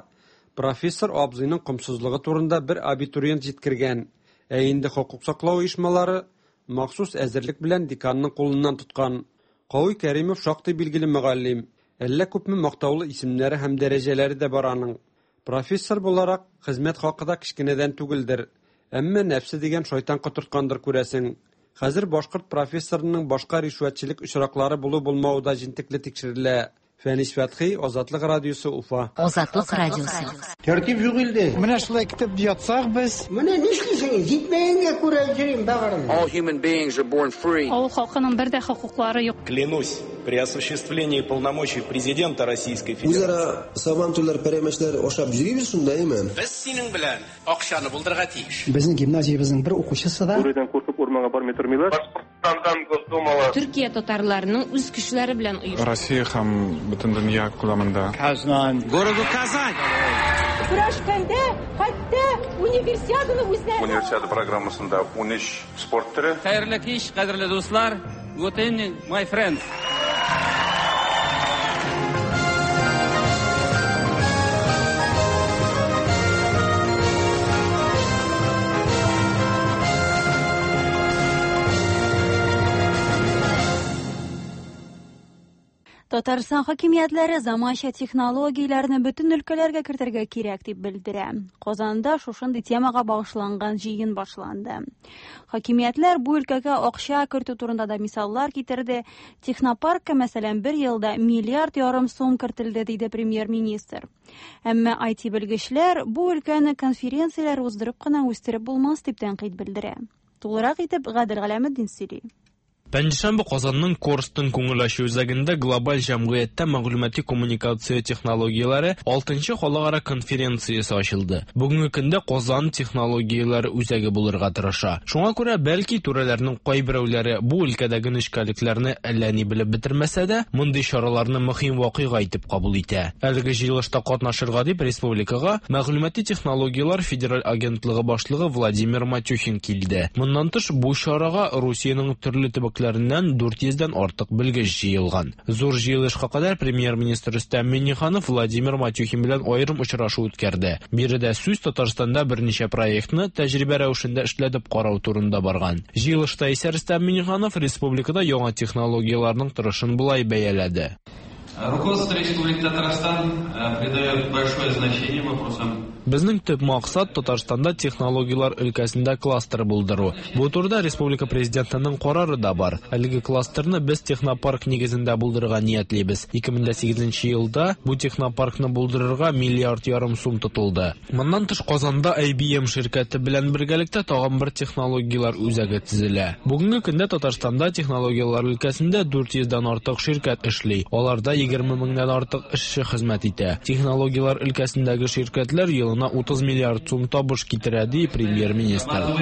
профессор абзыйның комсызлыгы турында бер абитуриент җиткергән, ә инде хокук саклау оешмалары махсус әзерлек белән деканның кулыннан тоткан. Кауи Кәримов шактый билгеле мөгаллим, әллә күпме мактаулы исемнәре һәм дәрәҗәләре дә бар аның. Профессор буларак, хезмәт хакы да кечкенәдән түгелдер. Әмма нәфсе дигән шайтан котырткандыр күрәсең. Хәзер башкорт профессорының башка ришвәтчелек очраклары булу-булмавы да җентекле тикшерелә. Фәнис Фәтхи, Азатлык радиосы, Уфа. Азатлык радиосы. Тәртип юк илдә. Менә шулай көтеп ятсак без. Менә нишлисең? Җитмәгәнгә күрә йөрим бәгырем. All human beings are born free. Авыл халкының бер дә хокуклары юк. Клянусь при осуществлении полномочий президента Российской Федерации. Үзара сабантуйлар, пәрәмәчләр ашап йөрибез шунда, әйме? Без синең белән акчаны булдырырга тиеш. Безнең гимназиябезнең бер укучысы да Бүредән куркып урманга бармый тормыйлар. Башкортстандан Госдумалы. Төркия татарларының үз көчләре белән оештырган. Россия һәм бөтен дөнья күләмендә. Казан. Городу Казань. Көрәшкәндә хәтта универсиаданы үзләре Универсиада программасында 13 спорт төре. Хәерле кич, кадерле дуслар. Good evening, my friends. Татарстан хакимиятләре заманча технологияләрне бөтен өлкәләргә кертергә кирәк дип белдерә. Казанда шушындый темага багышланган җыен башланды. Хакимиятләр бу өлкәгә акча кертү турында да мисаллар китерде. Технопаркка, мәсәлән, бер елда миллиард ярым сум кертелде, диде премьер-министр. Әмма IT белгечләр бу өлкәне конференцияләр уздырып кына үстереп булмас дип тәнкыйть белдерә. Тулырак итеп Гадел Галәметдин сөйли. Пәнҗешәмбе Казанның Корстон күңел ачу үзәгендә глобаль җәмгыятьтә мәгълүмати коммуникация технологияләре 6нчы халыкара конференциясе ачылды. Бүгенге көндә Казан технологияләре үзәге булырга тырыша. Шуңа күрә бәлки түрәләрнең кайберәүләре бу өлкәдәге нечкәлекләрне әллә ни белеп бетермәсә дә, мондый чараларны мөһим вакыйга итеп кабул итә. Әлеге җыелышта катнашырга дип республикага Мәгълүмати технологияләр федераль агентлыгы башлыгы Владимир Матюхин килде. Моннан тыш бу чарага Русиянең төрле төбәкләреннән 400дән артык белгеч җыелган. Зур җыелышка кадәр премьер-министр Рөстәм Миңнеханов Владимир Матюхин белән аерым очрашу үткәрде. Биредә сүз Татарстанда берничә проектны тәҗрибә рәвешендә эшләтеп карау турында барган. Җыелышта исә Рөстәм Миңнеханов республикада яңа технологияләрнең торышын болай бәяләде. Руководство Республики Татарстан придает большое значение вопросам. Безнең төп максат Татарстанда технологияләр өлкәсендә кластер булдыру. Бу турыда республика президентының карары да бар. Әлеге кластерны без технопарк нигезендә булдырырга ниятлибез. 2008 елда бу технопаркны булдырырга миллиард ярым сум тотылды. Моннан тыш Казанда IBM ширкәте белән бергәлектә тагын бер технологияләр үзәге төзелә. Бүгенге көндә Татарстанда технологияләр өлкәсендә 400дән артык ширкәт эшли. Аларда 20 меңнән артык эшче хезмәт итә. Технологияләр өлкәсендәге ширкәтләр елына 30 миллиард сум табыш китерә, ди премьер-министр.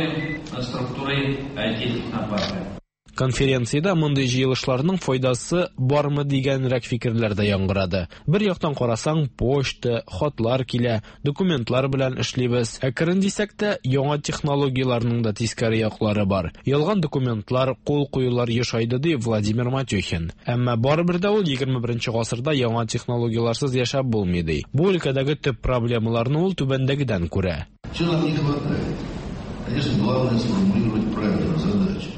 Структурой IT-технопарка. Конференциядә мондый җыелышларның файдасы бармы дигәнрәк фикерләр дә яңгырады. Бер яктан карасаң, почта, хатлар килә, документлар белән эшлибез. Әкрен дисәк тә, яңа технологияләрнең дә тискәре яклары бар. Ялган документлар, кул куюлар ешайды, ди Владимир Матюхин. Әмма барыбер дә ул 21 гасырда яңа технологияләрсез яшәп булмый, ди. Бу өлкәдәге төп проблемаларны ул түбәндәгедән күрә. Чего нам не хватает? Конечно, главное сформулировать правильную задачу.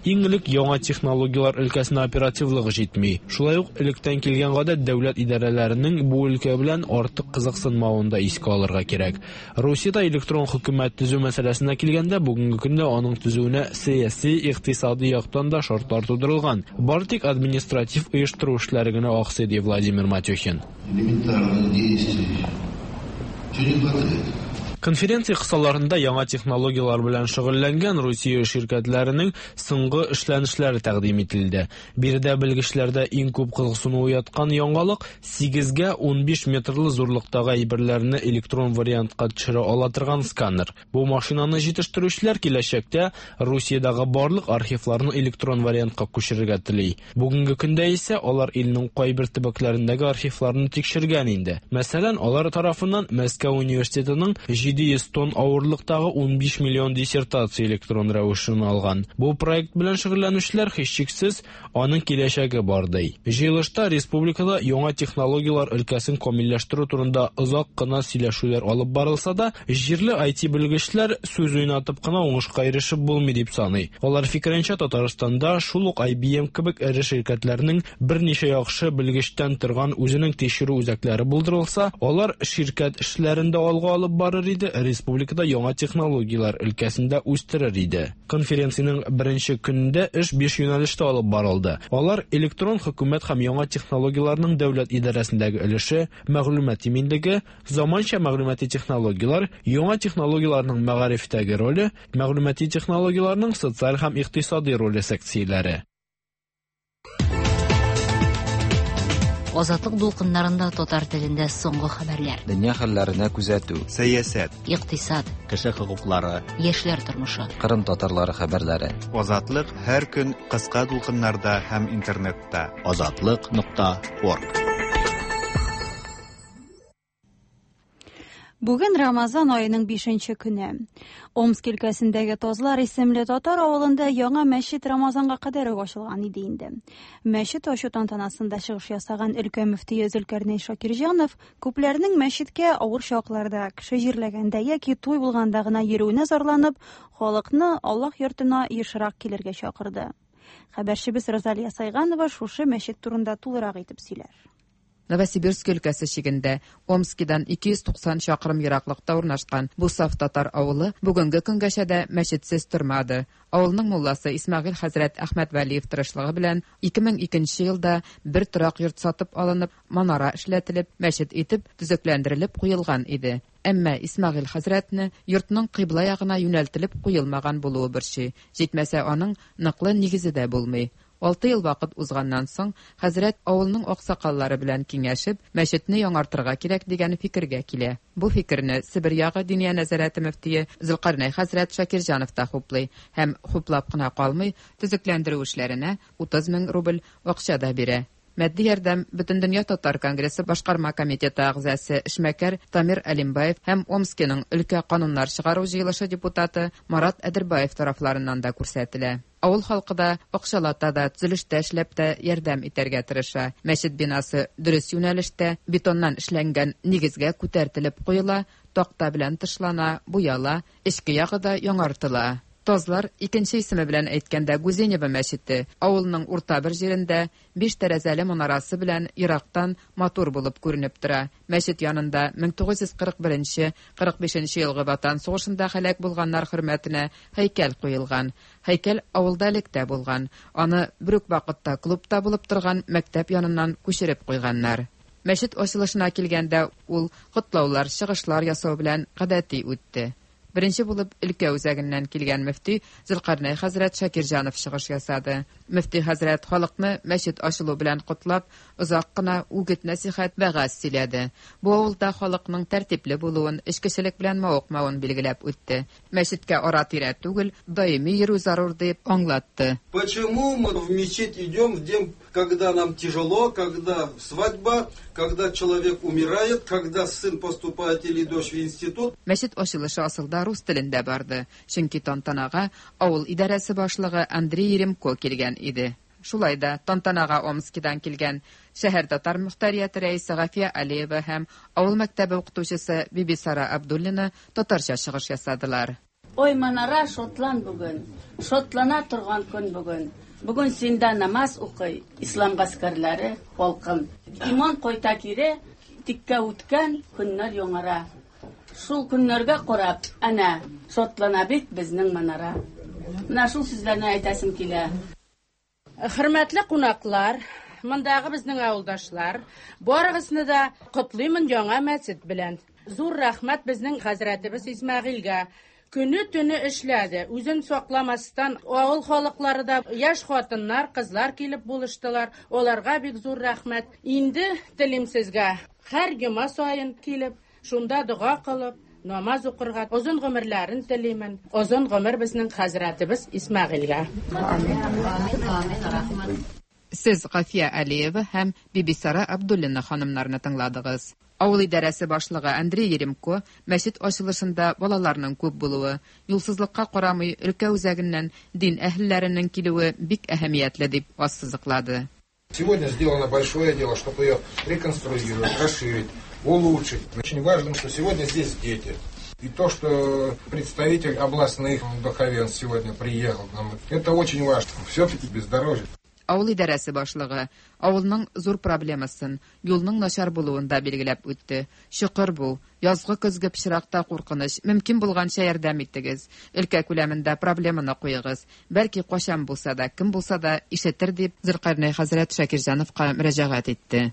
Иң элек яңа технологияләр өлкәсенә оперативлык җитми. Шулай ук электән килгән гадәт дәүләт идарәләренең бу өлкә белән артык кызыксынмавын да искә алырга кирәк. Русиядә электрон хөкүмәт төзү мәсьәләсенә килгәндә, бүгенге көндә аның төзүенә сәяси, икътисади яктан да шартлар тудырылган. Бары тик административ оештыру эшләре генә аксый, ди Владимир Матюхин. Элементарных действий. Чего не хватает? Конференция кысаларында яңа технологияләр белән шөгыльләнгән Русия ширкәтләренең соңгы эшләнешләре тәкъдим ителде. Биредә белгечләрдә иң күп кызыксыну уяткан яңалык 8гә 15 метрлы зурлыктагы әйберләрне электрон вариантка төшерә ала торган сканер. Бу машинаны җитештерүчеләр киләчәктә Русиядәге барлык архивларны электрон вариантка күчерергә тели. Бүгенге көндә исә алар илнең кайбер төбәкләрендәге архивларны тикшергән инде. Мәсәлән, алар тарафыннан Мәскәү университетының 700 тонн авырлыктагы 15 миллион диссертация электрон рәвешен алган. Бу проект белән шөгыльләнүчеләр һичшиксез аның киләчәге бар ди. Җыелышта республикада яңа технологияләр өлкәсен камилләштерү турында озак кына сөйләшүләр алып барылса да, җирле IT белгечләр сүз уйнатып кына уңышка ирешеп булмый дип саный. Алар фикеренчә, Татарстанда шул ук IBM кебек эре ширкәтләрнең берничә яхшы белгечтән торган үзенең тикшерү үзәкләре булдырылса, алар ширкәт эшләрен дә алга алып барыр иде, инде республикада яңа технологияләр өлкәсендә үстерер иде. Конференциянең беренче көнендә эш биш юнәлештә алып барылды. Алар электрон хөкүмәт һәм яңа технологияләрнең дәүләт идарәсендәге өлеше, мәгълүмат иминлеге, заманча мәгълүмати технологияләр, яңа технологияләрнең мәгарифтәге роле, мәгълүмати технологияләрнең социаль һәм икътисади роле секцияләре. Азатлык дулкыннарында татар телендә соңгы хәбәрләр. Дөнья хәлләренә күзәтү. Сәясәт. Икътисад. Кеше хокуклары. Яшьләр тормышы. Кырым татарлары хәбәрләре. Азатлык һәр көн кыска дулкыннарда һәм интернетта. Азатлык.орг. Бүген Рамазан аеның 5 көне. Омск өлкәсендәге Тазлар исемле татар авылында яңа мәчет Рамазанга кадәр үк ачылган иде инде. Мәчет ачу тантанасында чыгыш ясаган өлкә мөфтие Зөлкәрнәй Шакирҗанов күпләрнең мәчеткә авыр чакларда, кеше җирләгәндә яки туй булганда гына йөрүенә зарланып, халыкны Аллаһ йортына ешрак килергә чакырды. Хәбәрчебез Розалия Сайганова шушы мәчет турында тулырак итеп сөйләр. Новосибирск өлкәсе чигендә Омскидан 290 чакрым ераклыкта урнашкан бу саф татар авылы бүгенге көнгәчә дә мәчетсез тормады. Авылның мулласы Исмәгыйль хәзрәт Әхмәтвәлиев тырышлыгы белән 2002 елда бер торак йорт сатып алынып, манара эшләтелеп, мәчет итеп төзекләндерелеп куелган иде. Әмма Исмәгыйль хәзрәтне йортның кыйбла ягына юнәлтелеп куелмаган булуы борчый. Җитмәсә, аның ныклы нигезе дә булмый. 6 ел вакыт узганнан соң, хәзрәт авылның аксакаллары белән киңәшеп, мәчетне яңартырга кирәк дигән фикергә килә. Бу фикерне Себер ягы Диния нәзарәте мөфтие Зөлкарнәй хәзрәт Шакирҗанов та хуплый һәм хуплап кына калмый, төзекләндерү эшләренә 30 мең рубль акча да бирә. Матди ярдәм Бөтендөнья татар конгрессы башкарма комитеты әгъзасы эшмәкәр Тамир Алимбаев һәм Омскиның өлкә кануннар чыгару җыелышы депутаты Марат Әдербаев тарафларыннан да күрсәтелә. Авыл халкы да акчалата да, төзелештә эшләп тә ярдәм итәргә тырыша. Мәчет бинасы дөрес юнәлештә бетоннан эшләнгән нигезгә күтәртелеп куела, такта белән тышлана, буяла, эчке ягы да яңартыла. Тазлар, икенче исеме белән әйткәндә Гузенево мәчете, авылның урта бер җирендә биш тәрәзәле манарасы белән ерактан матур булып күренеп тора. Мәчет янында 1941-45 елгы Ватан сугышында һәлак булганнар хөрмәтенә һәйкәл куелган. Һәйкәл авылда элек тә булган. Аны бер үк вакытта клубта булып торган мәктәп яныннан күчереп куйганнар. Мәчет ачылышына килгәндә ул котлаулар, чыгышлар ясау белән гадәти үтте. Беренче булып өлкә үзәгеннән килгән мөфти Зөлкарнәй хәзрәт Шакирҗанов чыгыш ясады. Мөфти хәзрәт халыкны мәчет ачылу белән котлап, озак кына үгет нәсихәт вәгазь сөйләде. Бу авылда халыкның тәртипле булуын, эчкечелек белән мавыкмавын билгеләп үтте. Мәчеткә ара-тирә түгел, даими йөрү зарур дип аңлатты. Почему мы в мечеть идем в день, когда нам тяжело, когда свадьба, когда человек умирает, когда сын поступает или дочь в институт? Мәчет ачылышы асылда рус телендә барды, чөнки тантанага авыл идарәсе башлыгы Андрей Еремко килгән иде. Шулай да тантанага Омскидан килгән шәһәр татар мөхтәрияте рәисе Гафия Алиева һәм авыл мәктәбе укытучысы Бибисара Абдуллина татарча чыгыш ясадылар. Ой, манара шотлан бүген, шотлана торган көн бүген. Бүген синдә намаз укый, ислам гаскәрләре халкым. Иман кайта кире, тиккә үткән көннәр яңара. Шул көннәргә карап, әнә, шотлана бит безнең манара. Менә шул сүзләрне әйтәсем килә. Хөрмәтле кунаклар, мондагы безнең авылдашлар, барыгызны да котлыймын яңа мәчет белән. Зур рәхмәт безнең хәзрәтебез Исмәгыйльгә. Көне төне эшләде, үзен сакламастан авыл халыклары да, яшь хатыннар, кызлар килеп булыштылар. Аларга бик зур рәхмәт. Инде телим сезгә, һәр йома саен килеп, шунда дога кылып, намаз укырга озын гомерләрен телимен. Озын гомер безнең хәзрәтебез Исмәгыйльгә. Сез Гафия Алиева һәм Бибисара Абдуллина ханымнарны тыңладыгыз. Авыл идарәсе башлыгы Андрей Еремко мәчет ачылышында балаларның күп булуы, юлсызлыкка карамый өлкә үзәгеннән дин әһелләренең килүе бик әһәмиятле дип ассызыклады. Сегодня сделано большое дело, чтобы ее реконструировать, расширить, улучшить. Очень важно, что сегодня здесь дети. И то, что представитель областных духовенств сегодня приехал к нам, это очень важно. Все-таки бездорожье. Авыл идарәсе башлыгы Авылның зур проблемасын, юлның начар булуын да билгеләп үтте. Чокыр бу, язгы-көзге пычракта куркыныч, мөмкин булганча ярдәм итегез. Өлкә күләмендә проблеманы куегыз. Бәлки кайчан булса да, кем булса да ишетер, дип Зөлкарнәй хәзрәт Шакирҗановка мөрәҗәгать итте.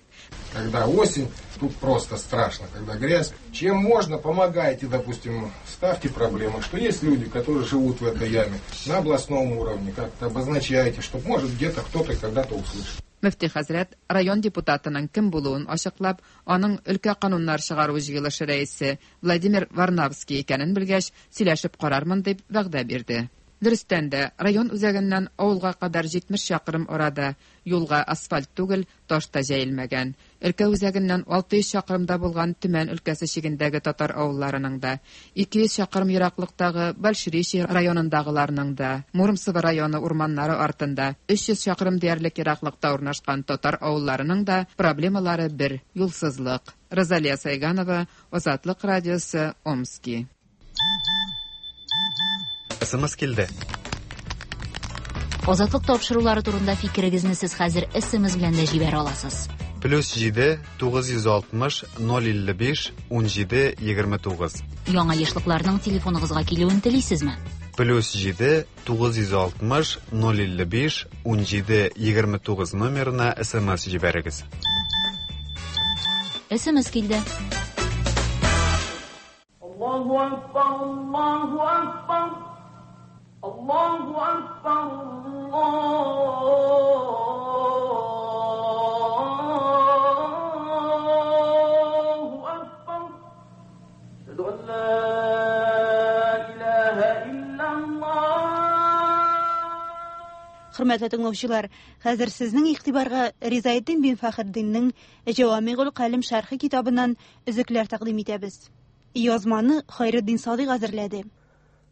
Когда осень, тут просто страшно, когда грязь. Чем можно, помогайте, допустим, ставьте проблемы, что есть люди, которые живут в этой яме, на областном уровне, как-то обозначайте, чтобы, может, где-то кто-то когда-то услышит. Мөфти хәзрәт район депутатының кем булуын ачыклап, аның өлкә кануннар чыгару җыелышы рәисе Владимир Варнавский икәнен белгәч, сөйләшеп карармын дип вәгъдә бирде. Дөрестән дә, район үзәгеннән авылга кадәр 70 чакрым арада юлга асфальт түгел, таш та җәелмәгән. Өлкә үзәгеннән 600 чакрымда булган Төмән өлкәсе чигендәге татар авылларының да, 200 чакрым ераклыктагы Большеречье районындагыларның да, Муромцево районы урманнары артында 300 чакрым диярлек ераклыкта урнашкан татар авылларының да проблемалары бер, юлсызлык. Розалия Сайганова, Азатлык радиосы, Омски. СМС килде. Азатлык тапшырулары турында фикерегезне сез хәзер SMS белән дә җибәрә аласыз. Плюс 7 960 055 17 29. Яңа ешлыкларның телефоныгызга килүен телисезме? Плюс 7 960 055 17 29 номерына СМС җибәрегез. SMS килде. Аллаһу акбар, Аллаһу акбар. Аллаһу акбар, Аллаһу акбар. Әшһәду ан ла илаһа иллаллаһ. Хөрмәтле тыңлаучылар, хәзер сезнең игътибарга Ризаэддин бин Фәхретдиннең Җавамигул Калим шәрхе китабыннан өзекләр тәкъдим итәбез. Язманы Хайретдин Садыйк әзерләде.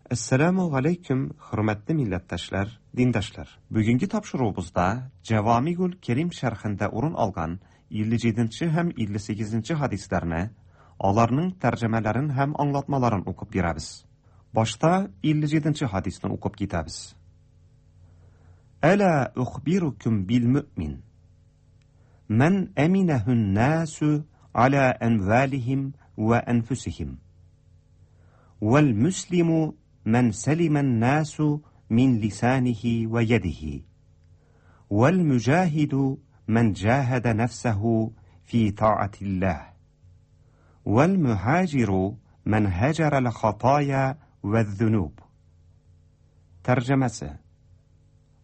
Әссәламү галәйкүм, хөрмәтле милләттәшләр, диндәшләр. Бүгенге тапшыруыбызда Җәвамигул Кәрим шәрхендә урын алган 57 нче һәм 58 нче хадисләрне, аларның тәрҗемәләрен һәм аңлатмаларын укып бирәбез. Башта 57 нче хадисны укып китәбез. Әлә ухбирукум бил мөмин. Мән әминәһүн нәсү аля әмвалихим вә әнфүсихим. Вәл мөслиму мән сәлимән нәсү мин лисанихи вә ядихи. Вәл мөҗаһиду мән җаһәдә нәфсәһү фи таатилләһ. Вәл мөһаҗиру мән һәҗәрәл хатая вәз-зунуб. Тәрҗемәсе.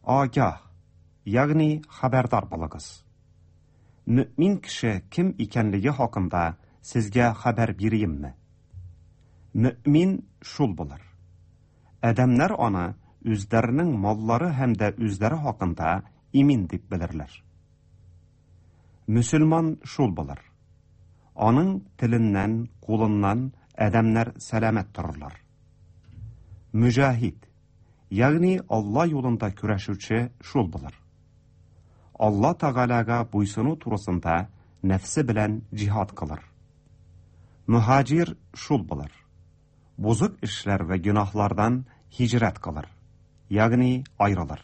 Агah, ягъни хәбәрдар булыгыз. Мөэмин кеше кем икәнлеге хакында сезгә хәбәр бириемме? Мөэмин шул булыр. Адәмнәр аны үзләренең маллары һәм дә үзләре хакында имин дип белерләр. Мөселман шул булыр. Аның теленнән, кулыннан адәмнәр сәламәт торырлар. Мөҗаһид, ягъни Алла юлында көрәшүче шул булыр. Алла Тәгаләгә буйсыну турысында нәфсе белән җиһад кылыр. Мөһаҗир шул булыр. Бозык эшләр вә гөнаһлардан һиҗрәт кылыр, ягъни аерылыр.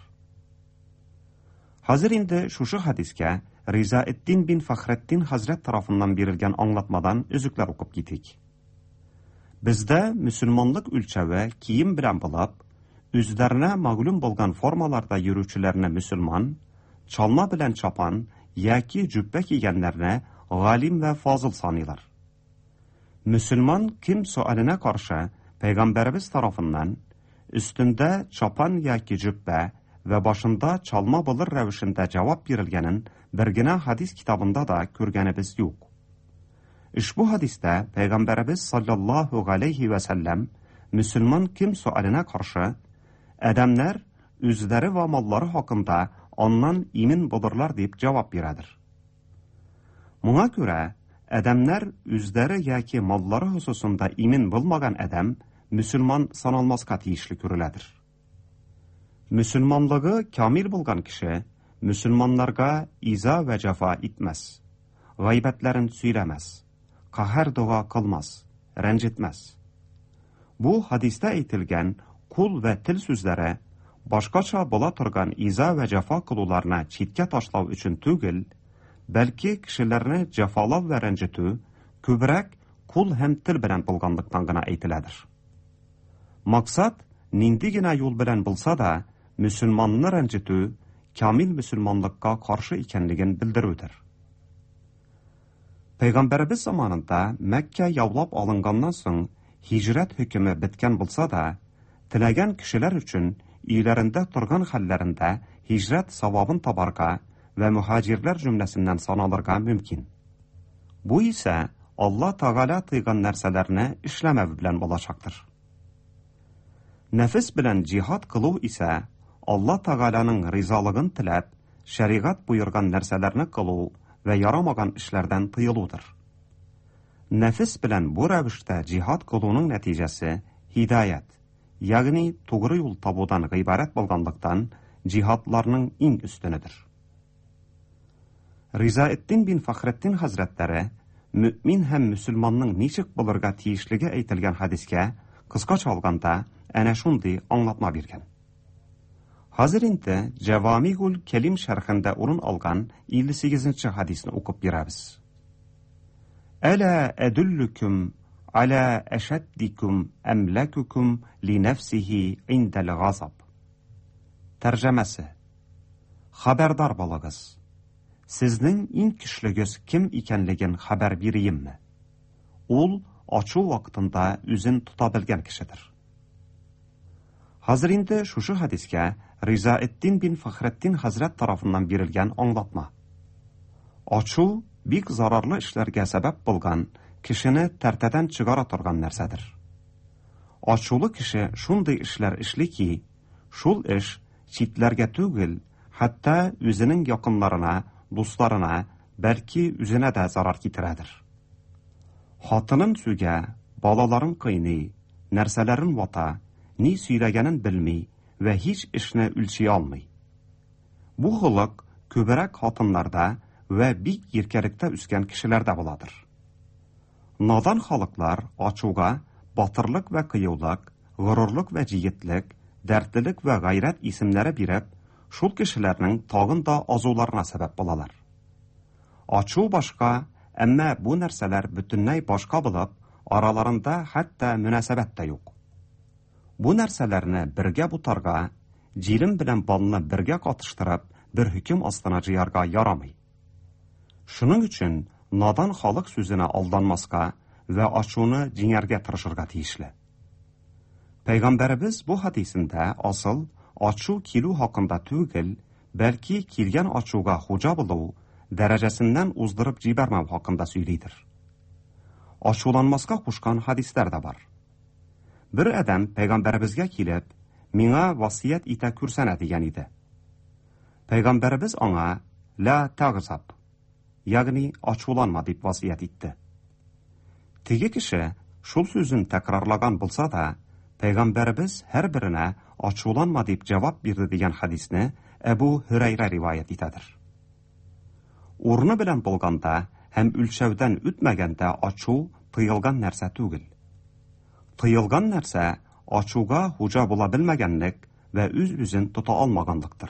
Хәзер инде шушы хәдискә Ризаэддин бин Фәхретдин хәзрәт тарафыннан бирелгән аңлатмадан өзекләр укып китик. Бездә мөселманлык үлчәве кием белән булып, үзләренә мәгълүм булган формаларда йөрүчеләрне мөселман, чалма белән чапан яки җөббә кигәннәрне галим вә фазыл саныйлар. Мөселман кем сөаленә каршы пәйгамбәребез тарафыннан өстендә чапан яки җөббә вә башында чалма булыр рәвешендә җавап бирелгәнен бер генә хәдис китабында да күргәнебез юк. Ошбу хәдистә пәйгамбәребез саллаллаһу галәйһи вә сәлләм мөселман кем сөаленә каршы адәмнәр үзләре вә маллары хакында аннан имин булырлар дип җавап бирәдер. Моңа күрә, адәмнәр үзләре яки маллары хосусында имин булмаган адәм мөселман саналмаска тиешле күреләдер. Мөселманлыгы камил булган кеше мөселманнарга иза вә җәфа итмәс, гайбәтләрен сөйләмәс, каһәр дога кылмас, рәнҗетмәс. Бу хадистә әйтелгән кул вә тел сүзләре башкача була торган иза вә җәфа кылуларны читкә ташлау өчен түгел, бәлки кешеләрне җәфалау вә рәнҗетү күбрәк кул һәм тел белән булганлыктан гына әйтеләдер. Максат, нинди генә юл белән булса да, мөселманны рәнҗетү камил мөселманлыкка каршы икәнлеген белдерүдер. Пәйгамбәребез заманында Мәккә яулап алынганнан соң һиҗрәт хөкеме беткән булса да, теләгән кешеләр өчен өйләрендә торган хәлләрендә һиҗрәт савабын табарга вә мөһаҗирләр җөмләсеннән саналырга мөмкин. Бу исә Алла Тәгалә тыйган нәрсәләрне эшләмәү белән булачактыр. Нәфес белән җиһад кылу исә Алла Тәгаләнең ризалыгын теләп, шәригать боерган нәрсәләрне кылу вә ярамаган эшләрдән тыелудыр. Нәфес белән бу рәвештә җиһад кылуның нәтиҗәсе һидаять, ягъни тугры юл табудан гыйбарәт булганлыктан, җиһадларның иң өстенедер. Ризаэддин бин Фәхретдин хәзрәтләре мөэмин һәм мөселманның ничек булырга тиешлеге әйтелгән хәдискә, кыскача алганда, әнә шундый аңлатма биргән. Хәзер инде Җәвамигул Кәлим шәрхендә урын алган 58 нче хәдисне укып бирәбез. Әлә әдүллүкүм аля әшәддикүм әмләкүкүм ли нәфсихи индәл газаб. Тәрҗемәсе. Хәбәрдар булыгыз. Сезнең иң көчлегез кем икәнлеген хәбәр бириемме? Ул ачу вакытында үзен тота белгән кешедер. Хәзер инде шушы хәдискә Ризаэддин бин Фәхретдин хәзрәт тарафыннан бирелгән аңлатма. Ачу бик зарарлы эшләргә сәбәп булган, кешене тәртәдән чыгара торган нәрсәдер. Ачулы кеше шундый эшләр эшли ки, шул эш читләргә түгел, хәтта үзенең якыннарына, дусларына, бәлки үзенә дә зарар китерәдер. Хатынын сүгә, балаларын кыйный, нәрсәләрен вата, ни сөйләгәнен белми вә һич эшне үлчи алмый. Бу холык күбрәк хатыннарда вә бик иркәлектә үскән кешеләрдә буладыр. Надан халыклар ачуга батырлык вә кыюлык, горурлык вә җегетлек, дәртлелек вә гайрәт исемнәре биреп, шул кешеләрнең тагын да азуларына сәбәп булалар. Ачу башка, әмма бу нәрсәләр бөтенләй башка булып, араларында хәтта мөнәсәбәт тә юк. Бу нәрсәләрне бергә бутарга, җилем белән балны бергә катыштырып, бер хөкем астына җыярга ярамый. Шуның өчен надан халык сүзенә алданмаска вә ачуны җиңәргә тырышырга тиешле. Пәйгамбәребез бу хәдисендә асыл ачу килү хакында түгел, бәлки килгән ачуга хуҗа булу, дәрәҗәсеннән уздырып җибәрмәү хакында сөйлидер. Ачуланмаска кушкан хәдисләр дә бар. Бер адәм пәйгамбәребезгә килеп, миңа васыять итә күрсәнә дигән иде. Пәйгамбәребез аңа ла тагзаб, ягъни ачуланма дип васыять итте. Теге кеше шул сүзен тәкрарлаган булса да, пәйгамбәребез һәрберенә ачуланма дип җавап бирде дигән хәдисне Әбу Һөрәйрә риваять итәдер. Урыны белән булганда һәм үлчәүдән үтмәгәндә ачу тыелган нәрсә түгел. Тыелган нәрсә ачуга хуҗа була белмәгәнлек вә үз-үзен тота алмаганлыктыр.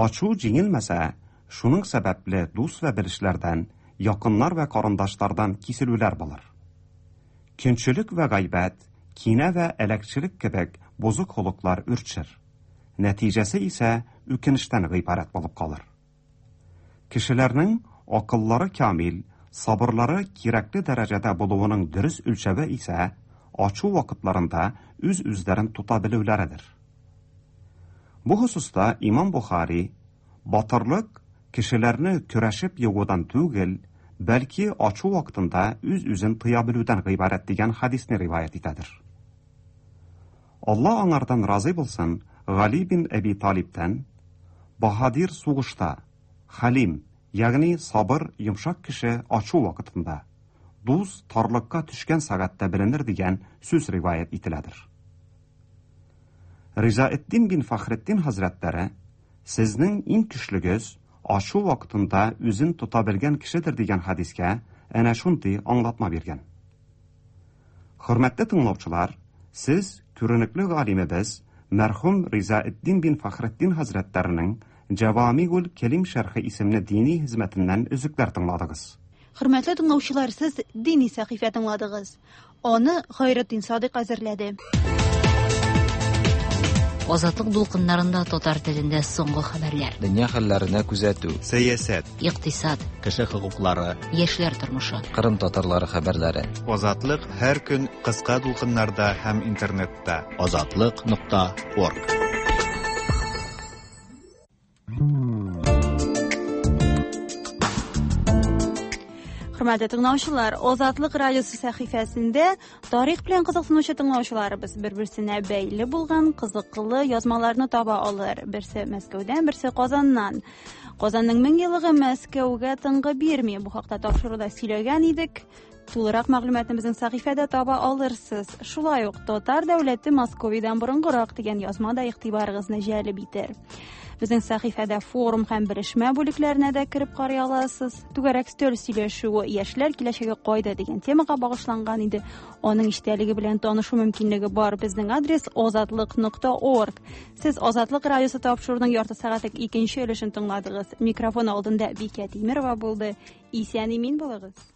Ачу җиңелмәсә, шуның сәбәпле дус вә белешләрдән, якыннар вә карындашлардан киселүләр булыр. Көнчелек вә гайбәт, кинә вә әләкчелек кебек бозык холыклар үрчер. Нәтиҗәсе исә үкенечтән гыйбарәт булып калыр. Кешеләрнең акыллары камил, сабырлары кирәкле дәрәҗәдә булуының дөрес үлчәве исә ачу вакытларында үз-үзләрен тота белүләредер. Бу хосуста Имам Бухари батырлык кешеләрне көрәшеп егудан түгел, бәлки ачу вакытында үз-үзен тыя белүдән гыйбарәт дигән хәдисне риваять итәдер. Алла аңардан разый булсын, Гали бин Әби Талибтән Баһадир сугышта, Хәлим, ягъни сабыр, йомшак кеше ачу вакытында, дус тарлыкка төшкән сәгатьтә беленер дигән сүз риваять ителәдер. Ризаэддин бин Фәхретдин хәзрәтләре сезнең иң көчлегез ачу вакытында үзен тота белгән кешедер дигән хәдискә әнә шундый аңлатма биргән. Хөрмәтле тыңлаучылар, сез күренекле галимебез мәрхүм Ризаэддин бин Фәхретдин хәзрәтләренең Җавамигул Кәлим шәрхе исемле дини хезмәтеннән өзекләр тыңладыгыз. Хөрмәтле тыңлаучылар, сез дини сәхифә тыңладыгыз. Аны Хайретдин Садыйк әзерләде. Азатлык дулкыннарында татар телендә соңгы хәбәрләр. Дөнья хәлләренә күзәтү. Сәясәт. Икътисад. Кеше хокуклары. Яшьләр тормышы. Кырым татарлары хәбәрләре. Азатлык һәр көн кыска дулкыннарда һәм интернетта. Азатлык.орг. Хөрмәтле тыңлаучылар, Азатлык радиосы сәхифәсендә тарих белән кызыксынучы тыңлаучыларыбыз бер-берсенә бәйле булган кызыклы язмаларны таба алыр. Берсе Мәскәүдән, берсе Казаннан. Казанның 1000 еллыгы Мәскәүгә тынгы бирми. Бу хакта тапшыруда сөйләгән идек. Тулырак мәгълүматны безнең сәхифәдә таба алырсыз. Шулай ук Татар дәүләте Московиядән борынгырак дигән язма да игътибарыгызны җәлеп итәр. Безнең сәхифәдә форум һәм белешмә бүлекләренә дә кереп карый аласыз. Түгәрәк өстәл сөйләшүе яшьләр киләчәге кайда дигән темага багышланган иде. Аның эчтәлеге белән танышу мөмкинлеге бар. Безнең адрес озатлык.орг. Сез Азатлык радиосы тапшыруының ярты сәгатьлек икенче өлешен тыңладыгыз. Микрофон алдында Бикә Тимерова булды. Исән имин булыгыз.